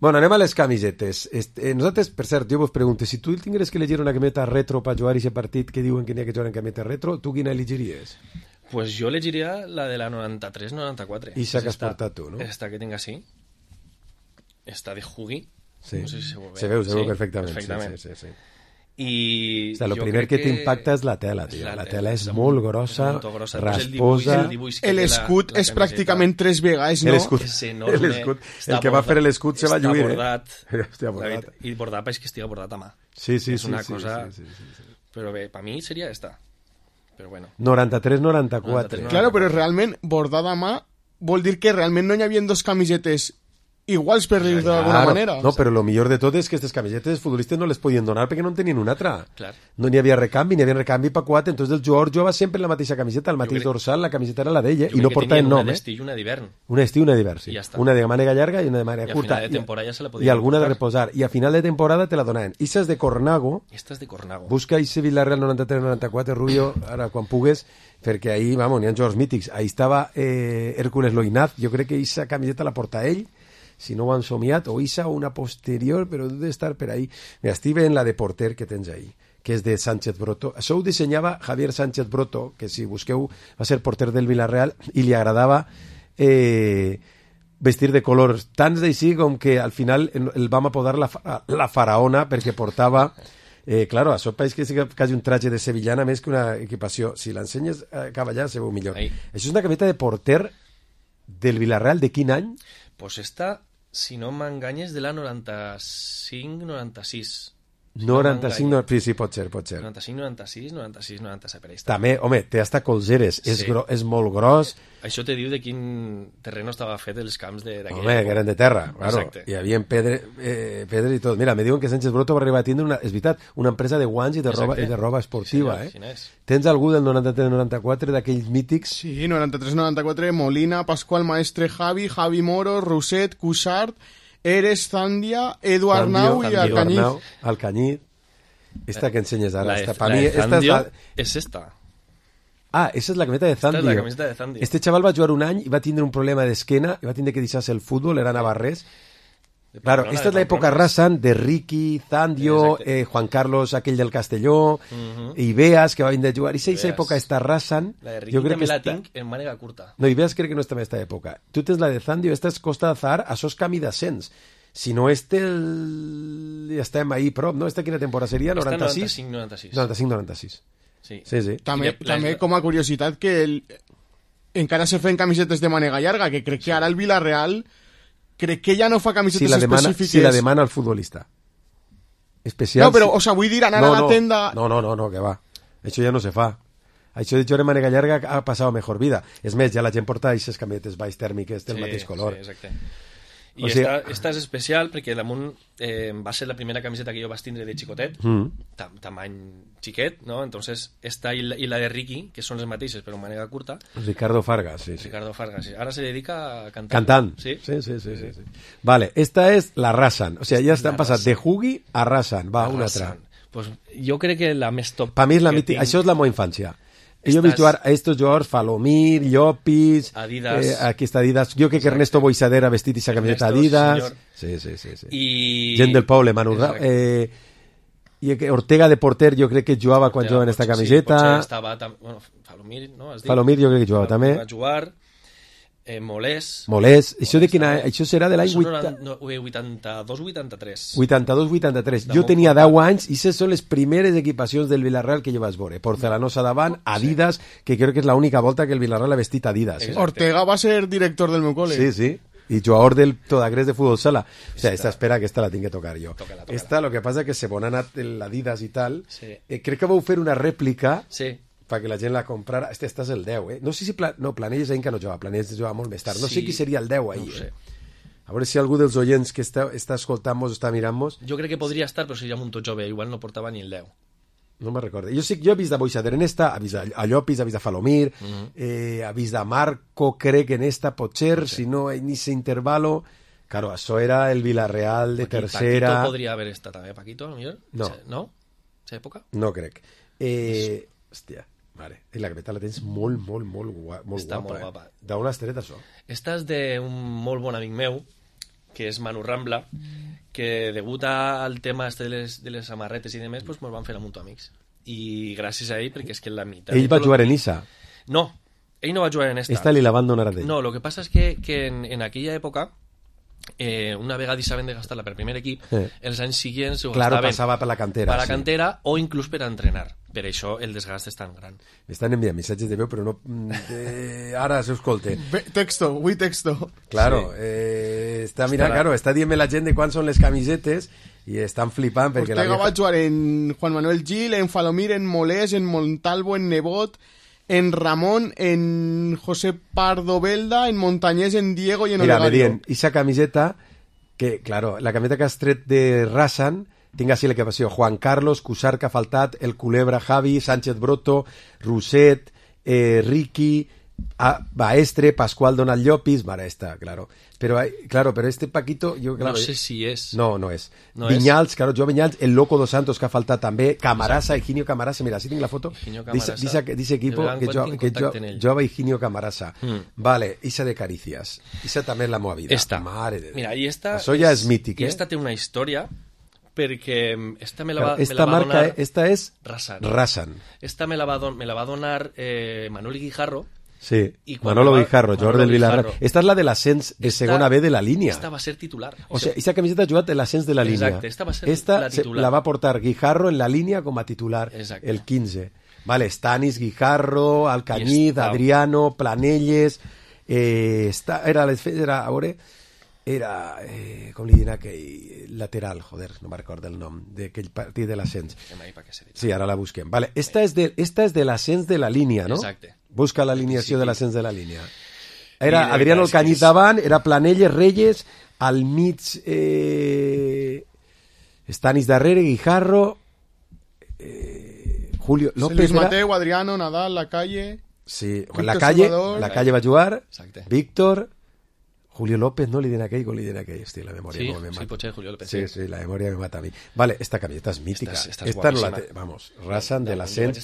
Bueno, anem a les camisetes. Este, nosaltres, per cert, jo vos pregunto, si tu tingueres que elegir una cameta retro per jugar aquest partit que diuen que n'hi ha que jugar en cameta retro, tu quina elegiries? Pues jo elegiria la de la noranta-tres noranta-quatre. Ixa que has portat tu, no? Esta que tinc així. Esta de Hugi. Sí. No sé si se veu bé. Se veu, se veu sí, perfectament. perfectament. Sí, sí, sí, sí. I o sea, lo primer que, que t'impacta és la tela, tio. La, la tela és molt grossa, grossa. rasposa. L'escut és pràcticament tres vegades, no? L'escut, el que va fer l'escut se va lluir, eh? Hòstia, bordat. I bordat és que estigui bordat a mà. Sí, sí, és sí. una sí, cosa... sí, sí, sí, sí. Però bé, per mi seria esta. Però bueno. noranta-tres noranta-quatre. Claro, però realment bordada a mà vol dir que realment no hi havia dos camisetes iguals per dir d'alguna claro, manera. No, però el millor de tot és que aquestes camisetes futbolistes no les podien donar perquè no en tenien una altra. Clar. No n'hi havia recanvi, n'hi havia recanvi per quatre, entonces el jugador jugava sempre la mateixa camiseta, el mateix crec... dorsal, la camiseta era la d'ella, i no portaven nom. Una d'estiu i una d'hivern. Una d'estiu i una d'hivern, sí. Ja una de mànega llarga i una de mànega curta. I a final de temporada ja se la I alguna de reposar. I a final de temporada te la donaven. Ixes de Cornago. Esta és de Cornago. Busca Ixe Villarreal noranta-tres noranta-quatre, Rubio, ara quan pugues, perquè ahí, vamos, n'hi ha jugadors mítics. Ahí estava eh, Hércules Loinaz, jo crec que Ixa camiseta la porta ell, si no ho han somiat, o Isa o una posterior, però deu estar per ahí. Mira, estic veient la de porter que tens ahí, que és de Sánchez Broto. Això ho dissenyava Javier Sánchez Broto, que si busqueu va ser porter del Villarreal, i li agradava eh, vestir de colors tants d'així com que al final el vam apodar la, la faraona perquè portava... Eh, claro, això pareix que és quasi un traje de sevillana més que una equipació. Si l'ensenyes a cavallar se veu millor. Ahí. Això és una cameta de porter del Villarreal, de quin any? Pues esta... Si no m'enganyes, de la noranta-cinc noranta-sis. Si noranta-cinc, no, sí, sí, pot ser, pot ser. noranta-cinc noranta-sis, noranta-sis noranta-set, per ahí. També, home, té hasta colzeres, sí. és, gro, és molt gros. Això te diu de quin terreno estava fet els camps d'aquella Home, que eren de terra, claro. Exacte. Hi havia pedre, eh, pedres i tot. Mira, me diuen que Sánchez Broto va arribar a tindre una, és veritat, una empresa de guants i de, roba, i de roba esportiva, sí, senyor, eh? Tens algú del noranta-tres noranta-quatre d'aquells mítics? Sí, noranta-tres noranta-quatre, Molina, Pascual Maestre, Javi, Javi Moro, Roset, Cuixart, Eres, Zandia, Edu Arnau i Alcañiz. Alcañiz. Esta que ensenyes ara. La de, esta, la mi, de esta Zandio és, la... és esta. Ah, esa és la cameta de Zandio. Esta és la camiseta de Zandio. Este chaval va jugar un any i va tindre un problema d'esquena i va tindre que deixar-se el futbol, era navarrès. Claro, esta es la época Rasan de Ricky, Zandio, eh, Juan Carlos, aquell del Castelló, uh-huh. i Beas, que va vindre a jugar. I si aquesta època està Rasan... La de Ricky jo crec també que la està... tinc en mànega curta. No, i Beas crec que no està en aquesta època. Tu tens la de Zandio, esta és Costa d'Azahar, això és camí d'ascens. Si no este, el... ja estem ahí prop, no? Esta quina temporada seria? noranta-sis? noranta-cinc noranta-sis. noranta-cinc noranta-sis. Sí. Sí, sí. També, la... també com a curiositat que el... encara se fan camisetes de mànega llarga, que crec que ara el Villarreal crec que ja no fa camisetes si la demana, específiques. Si la demana el futbolista. Especial... No, però, si... o sea, vull dir, anar no, a la no, tenda... No, no, no, no, que va. Això ja no se fa. Això de jugar de mànega llarga ha passat mejor vida. És més, ja la gent porta aquestes camisetes baix tèrmiques del sí, mateix color. Sí, exacte. I o sigui... esta, esta és especial perquè damunt eh, va ser la primera camiseta que jo vaig tindre de xicotet, mm. tam tamany xiquet, no? Entonces esta i la, i la de Ricky, que són les mateixes però en manera curta. Ricardo Fargas, sí, sí. Ricardo Fargas, sí. Ara se dedica a cantar. Cantant. Sí, sí, sí, sí, sí, sí. Vale, esta és la Rasan, o sigui, ja estan passat de Hugi a Rasan, va, la una Rasan. altra. Pues jo crec que la més top... Per mi és la mítica, tinc... això és la meva infància. Jo he vist jugar a estos jugadors, Falomir, Llopis, Adidas. Eh, aquí està Adidas. Jo crec que Ernesto Boixadera vestit i sa camiseta Adidas. Senyor. Sí, sí, sí. sí. I... Gent del poble, Manu Ra... Eh, I Ortega de porter jo crec que jugava quan jugava en esta camiseta. Sí, potser estava... Tam... Bueno, Falomir, no? Falomir jo crec que jugava també. Va jugar... Eh, Molés. Molés. Això de quina... Això serà de l'any vuitanta-dos vuitanta-tres. vuitanta-dos vuitanta-tres. Jo tenia deu anys i aquestes són les primeres equipacions del Villarreal que jo vaig veure. Porcelanosa davant, Adidas, que crec que és l'única volta que el Villarreal ha vestit Adidas. Eh? Ortega va ser director del meu col·le. Sí, sí. I jugador del Todagrés de futbol sala. O sea, esta espera que esta la tinc que tocar jo. Tócala, tócala. Esta, lo que pasa que se bon ha anat l'Adidas i tal. Sí. Eh, crec que vau fer una rèplica... Sí. perquè la gent la comprara. Este, este és el deu, eh? No sé si... Pla... No, Planelles ahir que no jugava, Planelles jugava molt més tard. No sí. sé qui seria el deu ahir, no sé. eh? A veure si algú dels oients que està, està escoltant-nos, està mirant-nos... Jo crec que podria estar, però seria molt jove, igual no portava ni el deu. No me'n recordo. Jo sí, jo he vist a Boixader en esta, he vist a Llopis, he vist a Falomir, uh -huh. eh, he vist a Marco, crec, en esta, potser, okay. si no, en ese intervalo... Claro, això era el Villarreal de Paquito, tercera... Paquito podria haver estat també, Paquito, a lo millor? No. No? ¿Esa època? No crec. Eh, hòstia, vale. I la capeta la tens molt, molt, molt, guapa, molt Està guapa. molt guapa. Eh? D'on has tret això? Esta és d'un molt bon amic meu, que és Manu Rambla, que degut al tema este de les, de les samarretes i demés, pues, mos van fer a Mutu Amics. I gràcies a ell, perquè és que la meitat... Ell va jugar en Issa? No, ell no va jugar en esta. Esta li la van donar a ell. No, lo que passa és que, que en, en aquella època, eh, una vegada hi saben de gastar-la per primer equip, eh. els anys seguents ho claro, gastaven passava per la cantera, per la sí. cantera o inclús per a entrenar. Per això el desgast és tan gran. M'estan enviant missatges de veu, però no... Eh, ara s'escolten. Texto, avui texto. Claro, sí. eh, està mirant, claro, està dient la gent de quan són les camisetes i estan flipant perquè Ortega la vieja... va jugar en Juan Manuel Gil, en Falomir, en Molés, en Montalvo, en Nebot, en Ramón, en José Pardo Belda, en Montañés, en Diego y en Mira, Olegario. me dient, esa camiseta, que, claro, la camiseta que has tret de Rasan, tinc així la que passió Juan Carlos, Cusarca Faltat, El Culebra Javi, Sánchez Broto, Roset, eh, Ricky, a Baestre, Pascual Donald Llopis, mare esta, claro. Pero hay, claro, pero este Paquito, yo claro, no sé si és. No, no és. No Viñals, és. claro, jo Viñals, el Loco dos Santos que ha faltat també, Camarasa, Higinio Camarasa, mira, si tinc la foto. Higinio Camarasa. Dice equipo que jo, que jo, jo va Higinio Camarasa. Mm. Vale, Isa de Caricias. Isa també és la meva vida. Esta. Mare de Déu. Mira, i esta Això ja és mític, eh? I esta té una història perquè esta me la va, esta me la va marca, donar... Esta és Rasan. Rasan. Esta me la va, don, me la va donar eh, Manuel Guijarro. Sí, y Manolo va, Guijarro, jugador del Villarreal. Esta és la de l'ascens de esta, segona B de la línia. Esta va ser titular. O sea, esta camiseta ha jugat de l'ascens de la línia. Exacte, esta va ser esta la titular. Se, la va portar Guijarro en la línia com a titular. Exacte. El quinze. Vale, Stanis, Guijarro, Alcañiz, Adriano, Planelles... Eh, esta, era, era, a veure... Era, eh, com li diuen aquell lateral, joder, no me'n recordo el nom, d'aquell partit de l'ascens. Sí, ara la busquem. Vale, esta és de, esta és de l'ascens de la línia, no? Exacte. Busca l'alineació de l'ascens de la línia. Era Adriano Alcañiz davant, era Planelles, Reyes, al mig eh, Stanis darrere, Guijarro, eh, Julio López. Luis era... Mateu, Adriano, Nadal, La Calle. Sí, la calle, Salvador. La calle va jugar, Exacte. Víctor... Julio López, no li den aquell, o li den aquell, hòstia, la memòria sí, no me mata. Sí, potser Julio López. Sí, sí, la memòria me mata a mi. Vale, esta camiseta és mítica. Esta, esta, esta no la té, vamos, Rasan de l'ascens.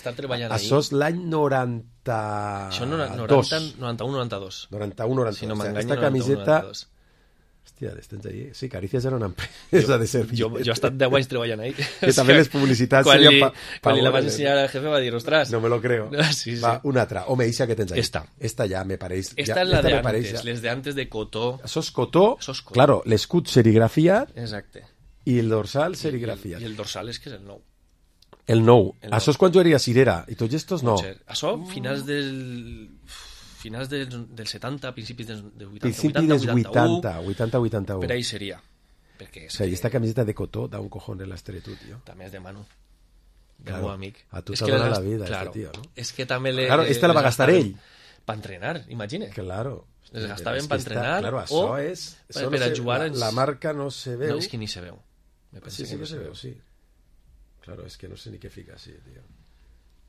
Això és l'any noranta... Això noranta, noranta-u noranta-dos. noranta-u noranta-dos. Si no m'enganyo, esta camiseta... Hòstia, tens allí. Sí, Carícies era una empresa de servir. Jo, jo he estat deu anys treballant ahí. Que també les publicitats... Quan li, pa, quan li la vas ensenyar al jefe va dir, ostres... No me lo creo. Sí, sí. Va, una altra. Home, eixa que tens ahí. Esta. Esta ja me pareix... Esta ja, és la esta de antes, antes, les de antes de cotó. Això és cotó. Això és cotó. Claro, l'escut serigrafiat. Exacte. I el dorsal serigrafiat. I, I el dorsal és que és el nou. El nou. El Això és quan jugaria Cirera. I tots estos no. Això, finals del... finals del, del setanta, principis del, del vuitanta, principi dels vuitanta, vuitanta, vuitanta-u. Per ahí seria. Perquè és o sea, que... i esta camiseta de cotó da un cojón en l'estere tu, tio. També és de Manu. De claro, meu amic. A tu t'ha donat la vida, claro, este tío, ¿no? És que també le... Claro, esta la va gastar ell. Per entrenar, imagina. Claro. Les gastaven per entrenar claro, o és, per, per no a jugar... La, la marca no se veu. No, és que ni se veu. Me sí, sí que, que no se veu, sí. Claro, es que no sé ni què fica así, tío.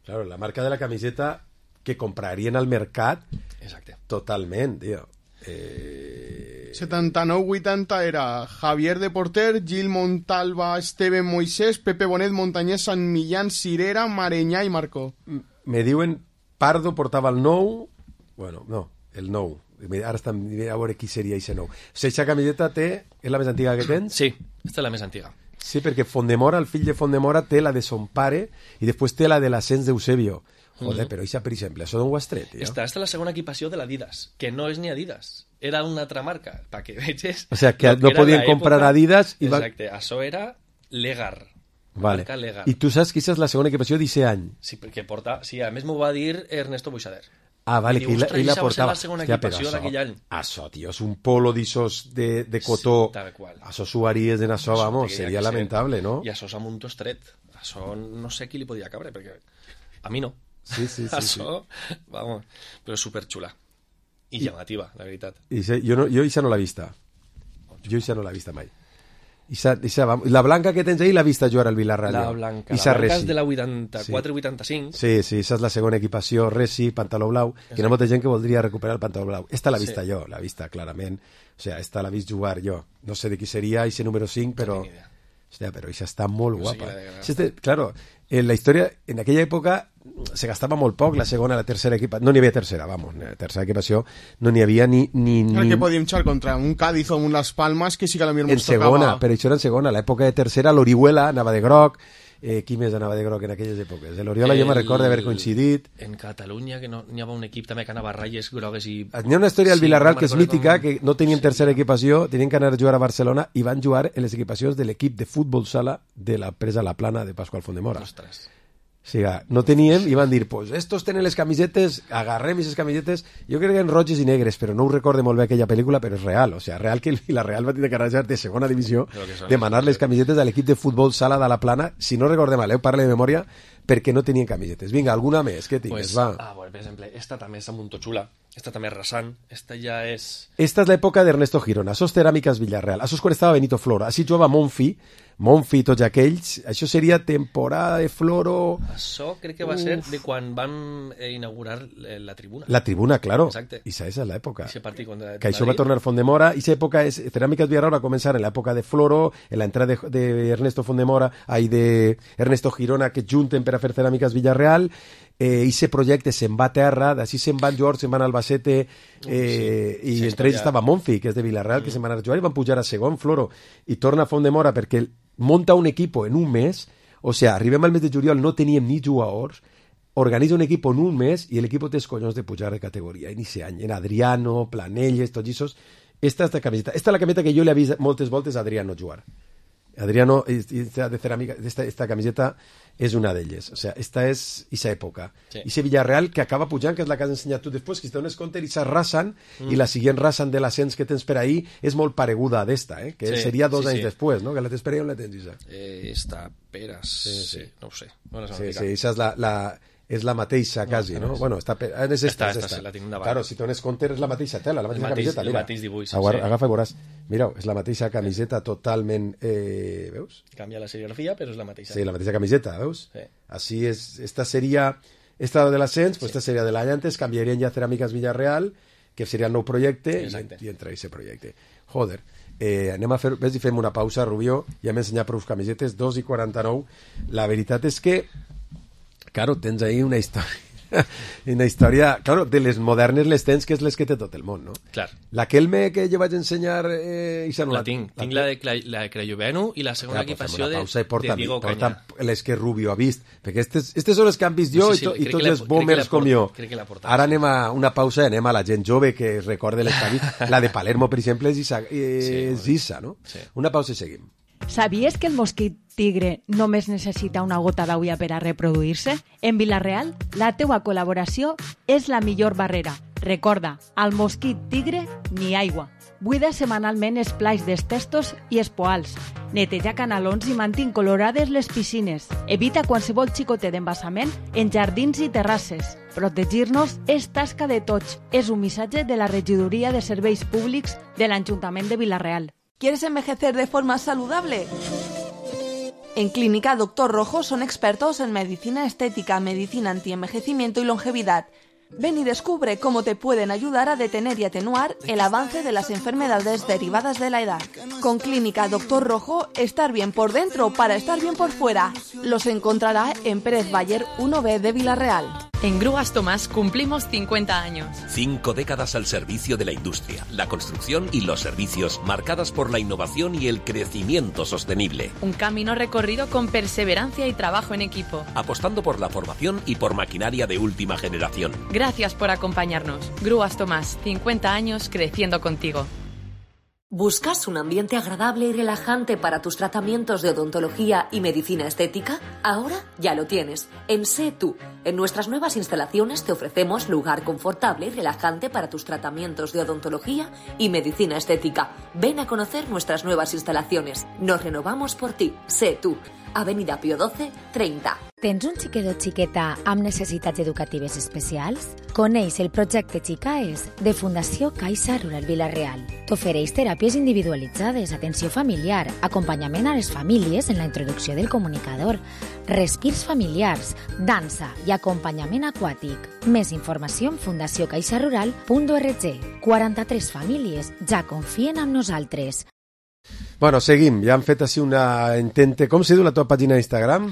Claro, la marca de la camiseta que comprarien al mercat. Exacte. Totalment, tio. Eh... setanta-nou vuitanta era Javier de Porter, Gil Montalva, Esteban Moisés, Pepe Bonet, Montañés, San Millán, Cirera, Mareñà i Marcó. Me diuen Pardo portava el nou, bueno, no, el nou. Ara estan a veure qui seria aquest nou. O sigui, aquesta camiseta té, és la més antiga que tens? Sí, aquesta és la més antiga. Sí, perquè Fondemora, el fill de Fondemora, té la de son pare i després té la de l'ascens d'Eusebio. Joder, mm-hmm. Però això, per exemple, això d'on ho has tret, tio? Esta, esta és la segona equipació de l'Adidas, que no és ni Adidas, era una altra marca, perquè veges... O sea, que no podien comprar Adidas... I Exacte, va... això era Legar. Vale. Marca Legar. I tu saps que aquesta és la segona equipació d'aquest any? Sí, perquè porta... Sí, a més m'ho va dir Ernesto Boixader. Ah, vale, que ell la, la portava. La segona equipació d'aquell any. Això, tio, és un polo d'issos de, de cotó. Sí, tal qual. Això suaries en això, vamos, seria lamentable, no? I això és amb un tostret. Això no sé qui li podia cabre, perquè a mi no. Sí, sí, sí. Això, sí. Vamos, però superxula. I, I llamativa, la veritat. I se, jo, no, jo això no l'he vista. Jo això no l'he vista mai. Ixa, ixa, la blanca que tens ahí l'ha vista jugar al Villarreal. La blanca, la blanca és de la vuitanta-quatre vuitanta-cinc. Sí, sí, esa és la segona equipació, Resi, pantaló blau, que hi ha molta gent que voldria recuperar el pantaló blau. Esta l'ha vista sí. jo, l'ha vista clarament. O sea, esta l'ha vist jugar jo. No sé de qui seria ese número cinc, però... Hostia, pero esa está muy guapa. Sí, este, claro, en la historia, en aquella època se gastava molt poc la segona, la tercera equipa... No n'hi havia tercera, vamos, la tercera equipació no n'hi havia ni... ni, ni... El que podíem echar contra un Cádiz o un Las Palmas que sí que a la mi en segona, però això era en segona. L'època de tercera, l'Orihuela anava de groc. Eh, qui més anava de groc en aquelles èpoques? L'Oriola jo me recordo d'haver coincidit. En Catalunya, que no, n'hi havia un equip també que anava a ratlles grogues i... N'hi ha una història al sí, Villarreal no que és mítica, com... que no tenien tercera equipació, tenien que anar a jugar a Barcelona i van jugar en les equipacions de l'equip de futbol sala de la presa La Plana de Pascual Fondemora. Ostres. O sigui, no teníem i van dir, pues estos tenen les camisetes, agarrem aquestes camisetes, jo crec que eren roges i negres, però no ho recorde molt bé aquella pel·lícula, però és real, o sigui, real que el Villarreal va tenir que arranjar de segona divisió, demanar les camisetes a l'equip de futbol sala de La Plana, si no recordem mal, eh, parle de memòria, perquè no tenien camisetes. Vinga, alguna més, què tingues, pues, va. Ah, bueno, per exemple, esta també és molt xula, esta també és rasant, esta ja és... Esta és l'època d'Ernesto Girona, sos Ceràmiques Villarreal, això és quan estava Benito Floro, així jugava Monfi, Monfi i tots aquells, això seria temporada de Floro... Això crec que va Uf. ser de quan van eh, inaugurar la tribuna. La tribuna, claro. Exacte. I esa és l'època. Ese partit contra que això va tornar Fondemora, i esa època, és, Ceràmiques Villarreal va començar en l'època de Floro, en l'entrada de, de Ernesto Fondemora, ai, de Ernesto Girona, que junten per a fer Ceràmiques Villarreal, eh, i ese projecte se'n va a terra, d'ací se'n van jugar, se'n van a Albacete, eh, sí. i sí, entre ells ja... estava Monfi, que és de Villarreal, mm. que se'n van a jugar i van pujar a segon, Floro, i torna a Fondemora perquè monta un equipo en un mes, o sea, arribem al mes de juliol, no teníem ni jugadors, organitza un equipo en un mes i l'equip té els collons de pujar de categoria. En ese any, en Adriano, Planelles, tots aquests, esta és la camiseta. Esta és la camiseta que jo li he vist moltes voltes a Adriano jugar. Adriano, esta de ceràmica, esta, esta camiseta és una d'elles. O sea, esta és esa època. Sí. Ese Villarreal que acaba pujant, que és la que has ensenyat tu després, que si te dones compte, i s'arrasen, mm. i la siguient rasen de l'ascens que tens per ahí és molt pareguda d'esta, eh? que sí, seria dos sí, anys sí. després, no? Que la tens per ahí, on la tens, Isa? Eh, esta peres, sí, sí. sí, no ho sé. No sí, sí, esa és la... la és la mateixa, no, quasi, no? Bueno, està... És esta, esta, és esta. La tinc davant. Claro, si dones compte és la mateixa tela, la mateixa mateix, camiseta, mira. El mateix dibuix. Agar, sí. Agafa i veuràs. Mira, és la mateixa camiseta totalment... Eh, veus? Canvia la serigrafia, però és la mateixa. Sí, la mateixa camiseta, veus? Sí. Així és... Esta seria... Esta de l'ascens, pues sí. Esta seria de l'any antes, canviarien ja Ceràmiques Villarreal, que seria el nou projecte, i, i entra aquest projecte. Joder. Eh, anem a fer... Ves i fem una pausa, Rubió, ja m'he ensenyat prou camisetes, dos i quaranta-nou. La veritat és que, claro, tens ahí una història. Una història, claro, de les modernes les tens, que és les que té tot el món, no? Clar. La Kelme que jo vaig ensenyar eh, i la, la tinc, la tinc la de, la de Crayoveno i la segona ja, equipació de, de Diego Caña. Les que Rubio ha vist, perquè aquestes, aquestes són les que han vist jo no sé si, i, to, i tots els boomers com jo. Ara anem a una pausa i anem a la gent jove que recorde les que ha vist. La de Palermo, per exemple, és Issa, eh, sí, Issa no? Sí. Una pausa i seguim. ¿Sabies que el mosquit tigre només necessita una gota d'aigua per a reproduir-se? En Vila-real, la teua col·laboració és la millor barrera. Recorda, al mosquit tigre, ni aigua. Buida setmanalment els plats dels testos i els poals. Neteja canalons i mantén colorades les piscines. Evita qualsevol xicotet d'embassament en jardins i terrasses. Protegir-nos és tasca de tots. És un missatge de la Regidoria de Serveis Públics de l'Ajuntament de Vila-real. ¿Quieres envejecer de forma saludable? En Clínica Doctor Rojo son expertos en medicina estética, medicina antienvejecimiento y longevidad. Ven y descubre cómo te pueden ayudar a detener y atenuar el avance de las enfermedades derivadas de la edad. Con Clínica Doctor Rojo, estar bien por dentro para estar bien por fuera. Los encontrará en Pérez Bayer uno B de Vila-real. En Grúas Tomás cumplimos cincuenta años. Cinco décadas al servicio de la industria, la construcción y los servicios, marcadas por la innovación y el crecimiento sostenible. Un camino recorrido con perseverancia y trabajo en equipo. Apostando por la formación y por maquinaria de última generación. Gracias por acompañarnos. Grúas Tomás, cincuenta años creciendo contigo. ¿Buscas un ambiente agradable y relajante para tus tratamientos de odontología y medicina estética? Ahora ya lo tienes. En Sé Tú, En nuestras nuevas instalaciones te ofrecemos lugar confortable y relajante para tus tratamientos de odontología y medicina estética. Ven a conocer nuestras nuevas instalaciones. Nos renovamos por ti. Sé tú. Avenida Pío doce, treinta. Tens un xiquet o xiqueta amb necessitats educatives especials? Coneix el projecte Xicaes de Fundació Caixa Rural Vila-real. T'ofereix teràpies individualitzades, atenció familiar, acompanyament a les famílies en la introducció del comunicador, respirs familiars, dansa i acompanyament aquàtic. Més informació en fundació caixa rural punt org. quaranta-tres famílies ja confien en nosaltres. Bueno, seguim. Ja han fet així una intente... Com se diu la teva pàgina d'Instagram?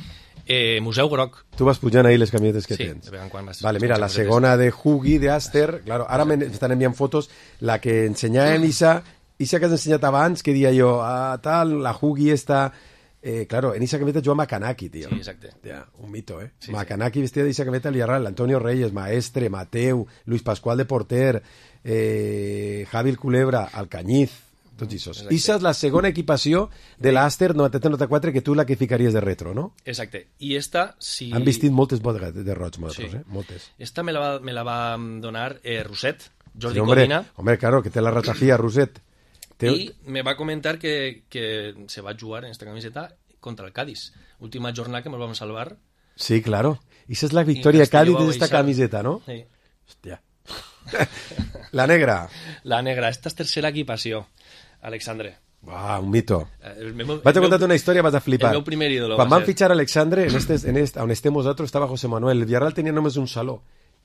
Eh, Museu Groc. Tu vas pujant ahí les camisetes que sí, tens. de vegades quan vas... Vale, mira, la segona de Hugi, de Aster, claro, ara m'estan enviant fotos, la que ensenyàvem Isa, Isa que has ensenyat abans, que dia jo, ah, tal, la Hugi esta... Eh, claro, en esa camiseta juga Makanaki, tío. Sí, exacte. Ja, un mito, eh? Sí, Makanaki sí. Vestida d'esa camiseta Villarreal, Antonio Reyes, Maestre, Mateu, Luis Pascual de porter, eh, Javi el Culebra, Alcañiz, tots isos. Issa és la segona equipació de l'Aster noranta-tres noranta-quatre que tu la que ficaries de retro, no? Exacte. I esta, si... Han vestit moltes bodes de roig, nosaltres, sí. eh? Moltes. Esta me la va, me la va donar eh, Roset, Jordi sí, hombre, Codina. Hombre, claro, que té la ratafia, Roset. Te... I me va comentar que, que se va jugar en esta camiseta contra el Cádiz. Última jornada que nos vamos a salvar. Sí, claro. Esa es la victoria de Cádiz de esta camiseta, ¿no? Sí. Hòstia. La negra. La negra. Esta és tercera equipació. Alexandre. Uah, un mito. El meu, vaig a contar una història, vas a flipar. El meu primer ídolo. Quan van fitxar Alexandre, en este, en este, on estem nosaltres, estava José Manuel. El Villarreal tenia només un saló.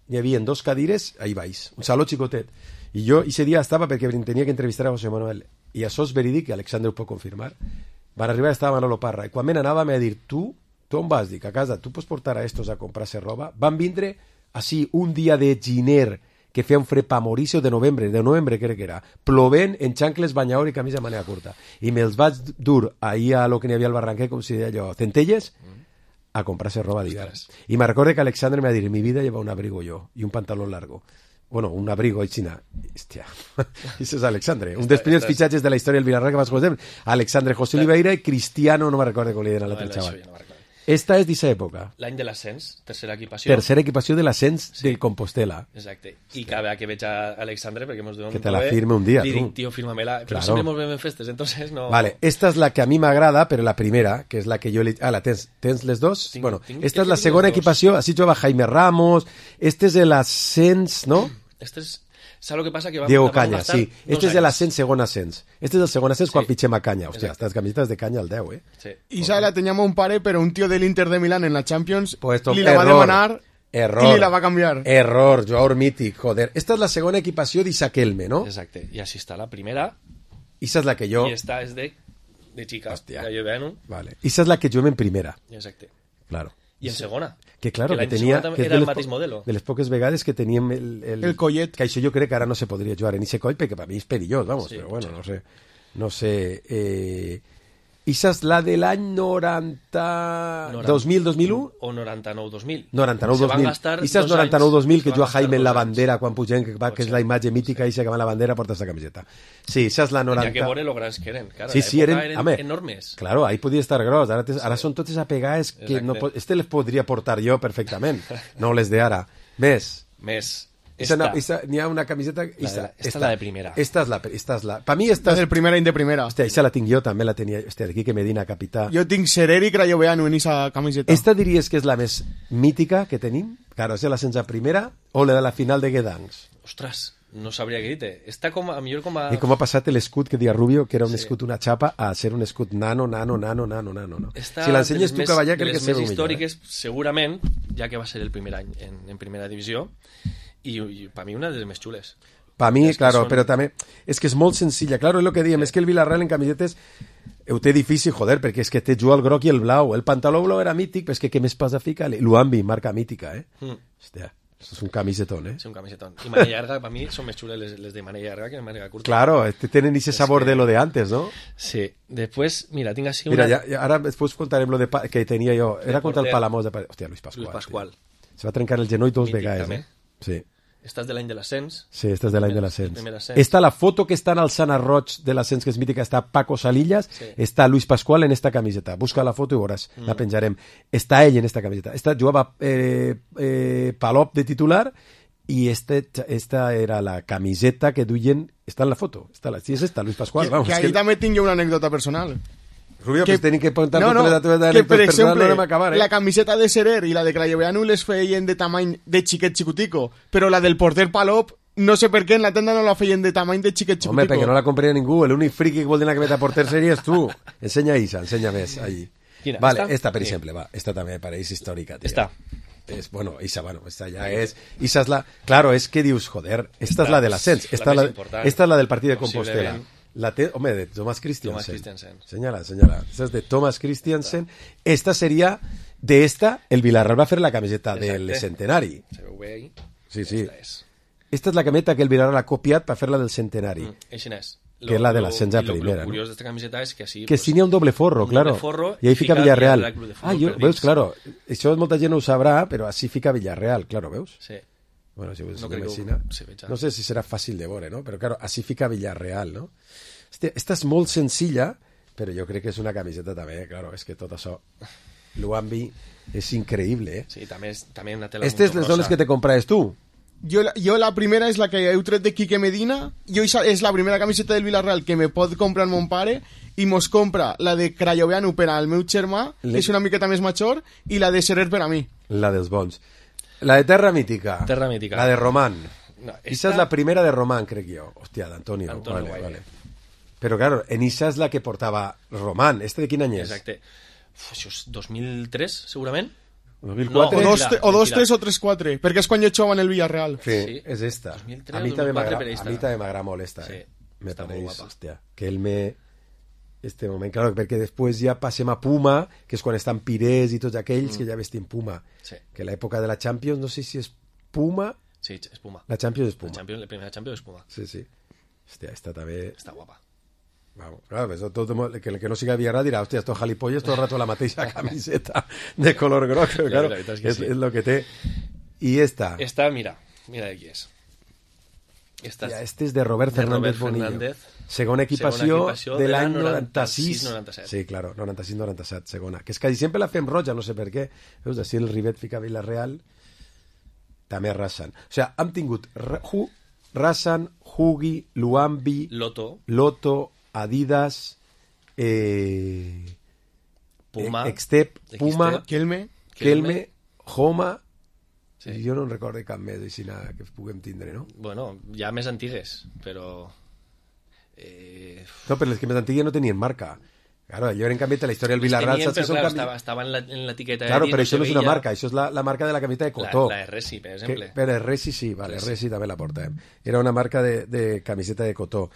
Hi havia dos cadires, ahí vais. Un saló xicotet. I jo, ese dia estava perquè tenia que entrevistar a José Manuel. I això és verídic, que Alexandre ho pot confirmar. Van arribar, estava Manolo Parra. I quan me n'anava, m'ha dit, tu, tu on vas? Dic, a casa, tu pots portar a estos a comprar-se roba? Van vindre, així, un dia de giner, que feia un fred pa morir-se, de novembre, de novembre crec que era, plovent en xancles, banyador i camisa de manera curta. I me'ls vaig dur ahir a lo que n'hi havia al Barranquer, com si deia allò, centelles, a comprar-se roba d'hivern. I me recordo que Alexandre m'ha dit, en mi vida lleva un abrigo yo y un pantalón largo. Bueno, un abrigo aixina. Hòstia, això és Alexandre. Un dels primers fitxatges de la història del Villarreal que vas conèixer. Alexandre José Oliveira i Cristiano, no me recordo com li deien a l'altre xaval. Esta és d'aquesta època. L'any de l'ascens, tercera equipació. Tercera equipació de l'ascens sí. de Compostela. Exacte. I cada vegada que veig a Alexandre, perquè mos diuen... Que te la firme un dia, li tu. dic, tío, fírmamela. Però claro. sempre mos veiem en festes, entonces no... Vale, esta és la que a mi m'agrada, però la primera, que és la que jo... Li... Ah, la tens, tens les dos? Tinc, bueno, tinc, esta és la segona equipació, així jugava Jaime Ramos, este és l'ascens, no? Este és... Saps el que passa? Que vam, Diego vam Caña, sí. Este és de l'ascens, segon ascens. Este és el segon ascens sí. quan fitxem a Caña. Hòstia, estas camisetas de Caña al deu, eh? Sí. Isa la teníamos un pare, pero un tío del Inter de Milán en la Champions pues li la va demanar error, i li la va canviar. Error, jugador mític, joder. Esta és la segona equipació d'Isaquelme, no? Exacte. I així està la primera. Issa és la que jo... I esta és de, de chica. Hòstia. Que jo veno. Vale. Issa és la que juguem en primera. Exacte. Claro. I en segona. Que claro, que, que tenia... Que era el mateix modelo. De les poques vegades que teníem el... El, el collet. Que això jo crec que ara no se podria jugar en ese coll, perquè per mi és perillós, vamos, sí, però bueno, sí. no sé. No sé... Eh... Issa és la de l'any noranta... dos mil, dos mil u? O noranta-nou, dos mil. noranta-nou, dos mil. Issa és noranta-nou, dos mil, que juga Jaime en la bandera quan pugem, que, va, que és la imatge mítica, Issa que va en la bandera, porta esta camiseta. Sí, issa és la noranta... Tenia que veure lo grans que eren, claro. Sí, sí, eren, eren home, enormes. Claro, ahí podia estar gros. Ara, te, ara són totes apegades que no, este les podria portar jo perfectament, no les de ara. Més. Més. N'hi ha una camiseta... Esta, esta, esta la de primera. Esta és la... Esta és la per mi esta és... del primera i de primera. Hòstia, esta la tinc jo, també la tenia... Hòstia, el Quique Medina, capità. Jo tinc Sereri Crayoveanu en esa camiseta. Esta diries que és la més mítica que tenim? Claro, és la sense primera o la de la final de Guedancs? Ostres, no sabria què dir-te. Està com a millor com a... I com ha passat l'escut que dia Rubio, que era un sí. escut, una xapa, a ser un escut nano, nano, nano, nano, nano. No? Esta, si l'ensenyes tu, cavallà, crec que és més històriques, millor, eh? Segurament, ja que va ser el primer any en, en primera divisió, i, i per mi una de les més xules. Per mi, és claro, són... però també és que és molt senzilla. Claro, és el que diem, sí. és que el Villarreal en camisetes ho té difícil, joder, perquè és que té juga el groc i el blau. El pantaló blau era mític, però és que què més passa fica? L'Uambi, marca mítica, eh? Mm. Hòstia, això és un camisetón, eh? Sí, un camisetón. I manilla llarga, per mi, són més xules les, les de manilla llarga que de manilla curta. Claro, tenen ese sabor que... de lo de antes, ¿no? Sí. Después, mira, tinc així una... Mira, ya, ya, ara después contarem lo de pa... que tenia jo. Era contra el Palamós de... Hòstia, Luis Pascual. Luis Pascual. Se va trencar el genoll dos vegades, eh? Sí. Esta és de l'any de l'ascens. Sí, esta és de l'any de l'ascens. Primer ascens. Esta, la foto que està en el Sana Roig de l'ascens, que és mítica, està Paco Salillas, Sí. està Luis Pascual en esta camiseta. Busca la foto i veuràs, Mm. la penjarem. Està ell en esta camiseta. Esta jugava eh, eh, Palop de titular i este, esta era la camiseta que duien... Està en la foto. Està la, sí, és esta, Luis Pascual. Que, Vamos, que ahí que... també tinc jo una anècdota personal. Rubio, que, pues tenim que contar no, no, totes les teves que anècdotes per personals, exemple, no anem a acabar, eh? la camiseta de Serer i la de Crayoveanu les feien de tamany de xiquet xicutico, però la del porter Palop, no sé per què, en la tenda no la feien de tamany de xiquet xicutico. Home, perquè no la compraria ningú. L'únic friqui que vol dir la camiseta porter series tu. Ensenya Isa, ensenya més allí. Quina? Vale, Esta? esta, per Sí. exemple, va. Esta també pareix històrica, tío. Esta. Es, bueno, Isa, bueno, esta ya es... Isa es la... Claro, es que dius, joder, esta, esta es la del ascens. la Esta, més la, important. esta es la del partido de Compostela. Posiblement. La te... Hombre, de Thomas Christiansen. Thomas Christiansen. Señala, señala. Esta es de Thomas Christiansen. Esta sería... De esta, el Villarreal va a hacer la camiseta del Exacte. centenari. Se veu bé ahí. Sí, sí. Esta és. Esta es la camiseta que el Villarreal ha copiat per fer la del centenari. Mm, així n'és. Que és la de Lo- l'ascens a lo- primera, Lo no? curiós d'esta camiseta és que així... Que sí n'hi ha un doble forro, un claro. doble forro I ahí fica fica Villarreal. Villarreal Club de Futbol Ah, jo, per veus, dins. claro. Això molta gent no ho sabrà, però així fica Villarreal, claro, veus? Sí. Bueno, si, No si crec que ho- m'imagina. sí, veig. No sé si serà fàcil de veure, no? Però, claro, així fica Villarreal, no? Este, esta és molt senzilla, però jo crec que és una camiseta també, claro, és que tot això... Luambi és increïble, eh? Sí, també és també una tela Estes les dones que te compraves tu. Jo, la- jo la primera és la que heu tret de Quique Medina. Jo esa és la primera camiseta del Villarreal que me pot comprar mon pare i mos compra la de Crayoveanu per al meu germà, Le- que és una miqueta més major, i la de Serer per a mi. La dels bons. La de Terra Mítica. Terra Mítica. La de Román. No, Esa esta- es la primera de Román, crec jo. Hòstia, d'Antonio. Antonio Vale, Guaire. vale. Però, claro, en Isa és la que portava Román. Este de quin any és? Exacte. Uf, això és dos mil tres, segurament? dos mil O quatre? dos, mentira, te- o dos mentira. tres o tres quatre, perquè és quan jo jugava en el Villarreal. Sí, Sí. és esta. dos mil tres a o mi també dos mil quatre m'agrada per a esta. mi també m'agrada molt esta, Sí, eh? Me està molt pareix, guapa. hòstia, que el me... Este moment, claro, perquè després ja passem a Puma, que és quan estan Pires i tots aquells Mm. que ja vestim Puma. Sí. Que l'època de la Champions, no sé si és Puma... Sí, és Puma. La Champions és Puma. La, Champions, la primera Champions és Puma. Sí, sí. Hòstia, esta també... Està guapa. Vamos, claro, pues, tot, tot, que el que no siga Villarreal dirà, hòstia, estos jalipolles tot el rato la mateixa camiseta de color groc, però, La claro, veritat és que és, sí. és lo que té. I esta, Esta, mira, mira de qui és. Esta ja, este és de Robert de Fernández Robert Bonillo. Fernández. Segona equipació, Segona equipació de de l'any l'any noranta-sis. noranta-sis. Sí, claro, noranta-sis noranta-set, segona. Que és que sempre la fem roja, no sé per què. Veus, així el Rivet fica Villarreal, també Rassan. O sigui, hem tingut Ra- Hu, Rassan, Hugi, Luambi, Loto, Loto, Adidas, eh, Puma, Extep, Puma, Xtep, Kelme, Kelme, Homa, Sí. i jo no en recordo cap més així nada que puguem tindre, no? bueno, ja més antigues, però... Eh, No, però les que més antigues no tenien marca. Claro, allò era en canvi de la història del les Villarreal, tenien, saps que però són clar, canvi... estava, estava en la- en l'etiqueta Claro, de però dins, això no se és una veia. marca, això és la, la marca de la camiseta de cotó. La, la Resi, per exemple. Que, però Resi sí, vale, Resi. Resi també la portem. Era una marca de, de camiseta de cotó.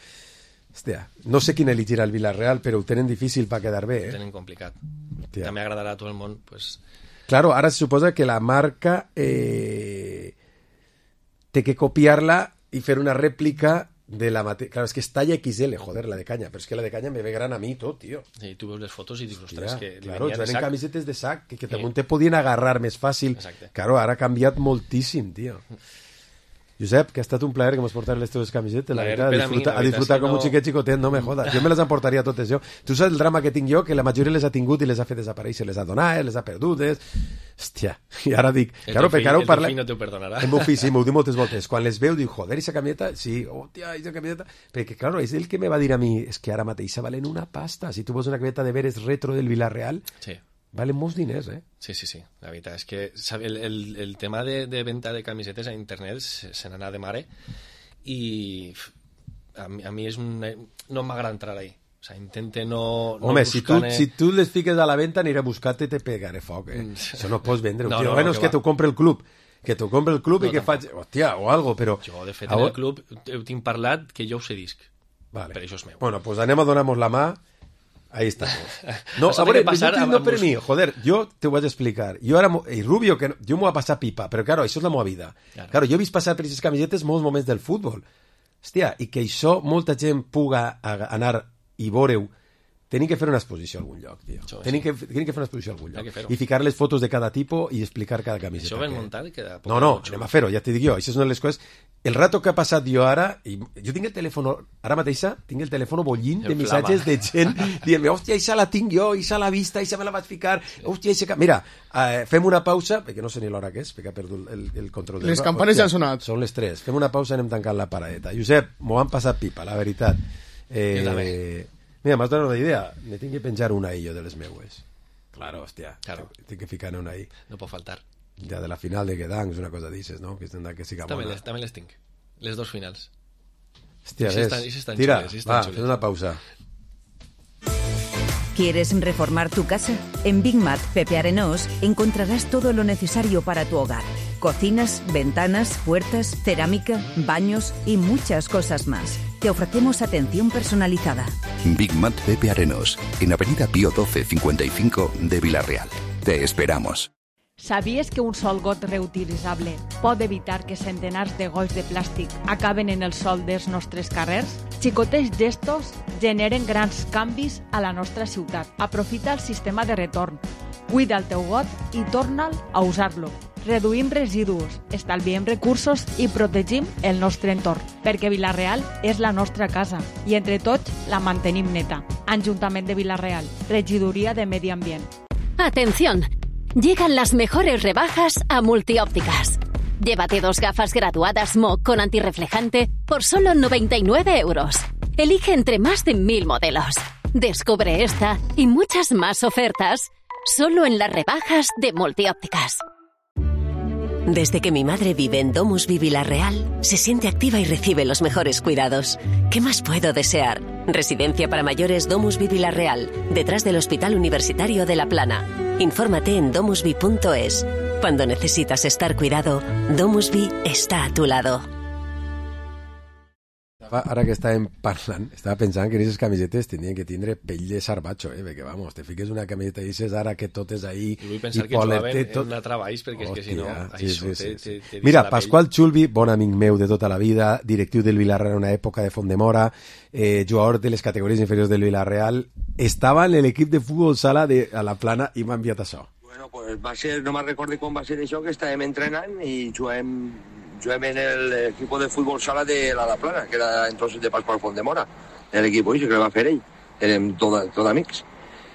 Hòstia, no sé quin elegirà el Villarreal, però ho tenen difícil per quedar bé, Ho eh? tenen complicat. Hòstia. També agradarà a tot el món, pues, Claro, ara se suposa que la marca eh, té que copiar-la i fer una rèplica de la mateixa... Claro, és que és talla equis ele, joder, la de canya, però és que la de canya me ve gran a mi tot, tio. sí, tu veus les fotos i dius, ostres, Hòstia, que li claro, venia de eren sac. camisetes de sac que, que Sí. també te podien agarrar més fàcil. Exacte. Claro, ara ha canviat moltíssim, tio. Josep, que ha estat un plaer que mos portar les teves camisetes, la Plaer veritat, a per a mi, disfrutar, la a veritat disfrutar és que com un no- xiquet xicotet, no me jodas. Jo me les emportaria totes jo. Tu saps el drama que tinc jo, que la majoria les ha tingut i les ha fet desaparèixer, les ha donat, les ha perdudes. Hòstia, i ara dic... El Claro, teu fill- perquè ara ho el teu parla... fill no t'ho perdonarà. El meu fill sí, m'ho diu moltes voltes. Quan les veu, diu, joder, esa camiseta, sí, hòstia, esa camiseta... Perquè, claro, és el que me va dir a mi, és que ara mateixa valen una pasta. Si tu vols una camiseta de veres retro del Villarreal, Sí. valen molts diners, eh? Sí, sí, sí. La veritat és que sabe, el, el, el tema de, de venda de camisetes a internet se, se n'anà de mare i f, a mi, a mi és un, no m'agrada entrar ahí. O sea, intente no, no Home, si tu, buscar-ne- si tu les fiques a la venda, aniré a buscar-te i te pegaré foc, eh? Mm. Això no pots vendre. No, No, no, bueno, no, és que que va. t'ho compre el club. Que t'ho compre el club No, i que tampoc. faig... Hòstia, o algo, però... Jo, de fet, Ah, en o- el club ho tinc parlat que jo ho sé disc. Vale. Per això és meu. Bueno, pues anem a donar-nos la mà. Ahí estamos. No, Això a té veure, que passar no, a- no a per bus- mi, joder, jo te ho vaig explicar. Jo ara, mo- i Rubio, que no, jo m'ho va passar pipa, però claro, això és la meva vida. Claro. Claro, jo he vist passar per aquestes camisetes molts moments del futbol. Hòstia, i que això molta gent puga a- anar i veure-ho Tenim que fer una exposició a algun lloc, tio. Això, Tenim sí. que, tenim que fer una exposició a algun Hay que lloc. fer-ho. I ficar les fotos de cada tipus i explicar cada camiseta. Això ben que- muntat i queda poc No, no, xulo. anem a fer-ho, ja t'hi dic jo. Això és una de les coses... El rato que ha passat jo ara... I jo tinc el telèfon... Ara mateixa tinc el telèfon bollint de El missatges flama. de gent dient-me, hòstia, això la tinc jo, això l'ha vista, això me la vaig ficar, hòstia, això... Mira, eh, fem una pausa, perquè no sé ni l'hora que és, perquè ha perdut el, el control del... Les campanes ja han sonat. Són les tres. Fem una pausa i anem tancant la paradeta. Josep, m'ho han passat pipa, la veritat. Eh, Jo també. mira, m'has donat una idea. Me tinc que penjar una ahí jo de les meues. Claro, hòstia. Claro. Tinc que ficar una ahí. No pot faltar. Ja de la final de Gedanks, una cosa dices, ¿no? Que tendrà que siga També bona. les, també les tinc. Les dos finals. Hòstia, I si ves. estan- i si estan Tira, xules, i si estan va, xules. fes una pausa. ¿Quieres reformar tu casa? En Big Mat Pepe Arenós encontrarás todo lo necesario para tu hogar. Cocinas, ventanas, puertas, cerámica, baños y muchas cosas más. Te ofrecemos atención personalizada. Big Mat Pepe Arenós, en Avenida Pío doce cincuenta y cinco de Villarreal. Te esperamos. Sabies que un sol got reutilitzable pot evitar que centenars de golls de plàstic acaben en el sol dels nostres carrers? Xicotets gestos generen grans canvis a la nostra ciutat. Aprofita el sistema de retorn. Cuida el teu got i torna'l a usar-lo. Reduïm residus, estalviem recursos i protegim el nostre entorn, perquè Vila-real és la nostra casa i entre tots la mantenim neta. Ajuntament de Vila-real, Regidoria de Medi Ambient. Atención, llegan las mejores rebajas a Multiópticas. Llévate dos gafas graduadas M O C con antirreflejante por solo noventa y nueve euros. Elige entre más de mil modelos. Descubre esta y muchas más ofertas solo en las rebajas de Multiópticas. Desde que mi madre vive en Domus Vi Vila-real, se siente activa y recibe los mejores cuidados. ¿Qué más puedo desear? Residencia para mayores Domus Vi Vila-real, detrás del Hospital Universitario de La Plana. Infórmate en domusvi punto es. Cuando necesitas estar cuidado, Domus Vi está a tu lado. Ara que estàvem parlant, estava pensant que aquestes camisetes tenien que tindre pell de sarbatxo, eh? Perquè, vamos, te fiques una camiseta i dices ara que tot és ahí... I vull pensar i que poler, jugaven té tot... en treballs, perquè és que si no, sí, això sí, te, sí, sí. te, te Mira, la Pasqual Xulbi, bon amic meu de tota la vida, directiu del Villarreal en una època de Font-de-Mora, eh, jugador de les categories inferiors del Villarreal, estava en l'equip de futbol sala de, a la Plana i m'ha enviat això. Bueno, pues va ser, no me'n recordo com va ser això, que estàvem entrenant i juguem, juguem en l'equip de futbol sala de la La Plana, que era entonces de Pasqual Font-de-Mora, l'equip que el va fer ell, érem tot, tot amics.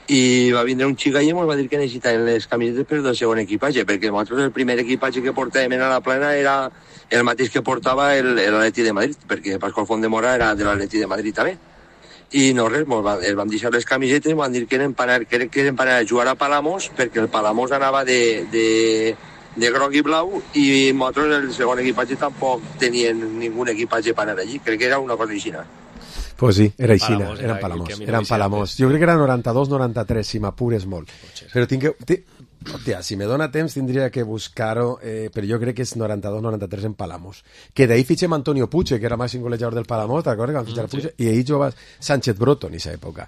I va vindre un xic allà i ens va dir que necessitaven les camisetes per del segon equipatge, perquè nosaltres el primer equipatge que portàvem a La Plana era el mateix que portava l'Atleti de Madrid, perquè Pasqual Font-de-Mora era de l'Atleti de Madrid també. I no res, va, els vam deixar les camisetes i van dir que eren per anar, que eren per anar a jugar a Palamós, perquè el Palamós anava de, de, de groc i blau i nosaltres el segon equipatge tampoc tenien ningú equipatge per anar allí, crec que era una cosa així. Pues sí, era així, Palamós, eren era Palamós, que a mi no eren m'hi Palamós. Jo crec que era noranta-dos noranta-tres, si m'apures molt. Però tinc que... Ti... Hòstia, si me dona temps tindria que buscar-ho, eh, però jo crec que és noranta-dos noranta-tres en Palamós. Que d'ahí fitxem Antonio Puche, que era màxim golejador del Palamós, t'acordes que van fitxar Mm, Puche? sí. I ahí jugava Sánchez Broto en aquesta època.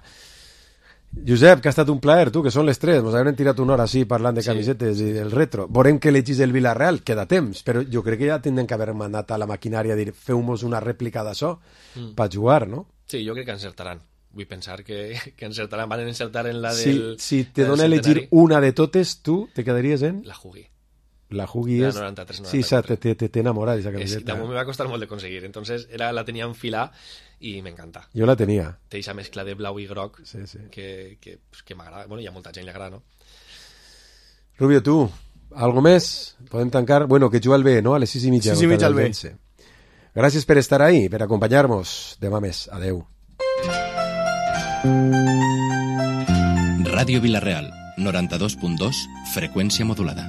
Josep, que ha estat un plaer, tu, que són les tres. Ens haurem tirat una hora així parlant de Sí. camisetes i del retro. Veurem que elegís el Villarreal, queda temps, però jo crec que ja tindrem que haver mandat a la maquinària a dir feu-nos una rèplica d'això Mm. per jugar, no? Sí, jo crec que encertaran. Vull pensar que, que encertaran. Van encertar en la Si, del... si te del dona a elegir centenari. una de totes, tu te quedaries en... La Jugui. La Jugui La és... noranta-tres, Sí, sa, te, te, te, te enamora d'esa Es, camiseta. damunt me va costar molt de conseguir. Entonces era, la tenia en fila i m'encanta. Jo la tenia. Té aquesta mescla de blau i groc sí, sí. que, que, pues, que m'agrada. Bueno, hi ha molta gent que li agrada, no? Rubio, tu, algo més? Podem tancar? Bueno, que juga al B, no? A les sis i mitja. sis i mitja al B. Vence. Gràcies per estar ahí, per acompanyar-nos. Demà més. Adeu. Ràdio Vila-real, noranta-dos punt dos, freqüència modulada.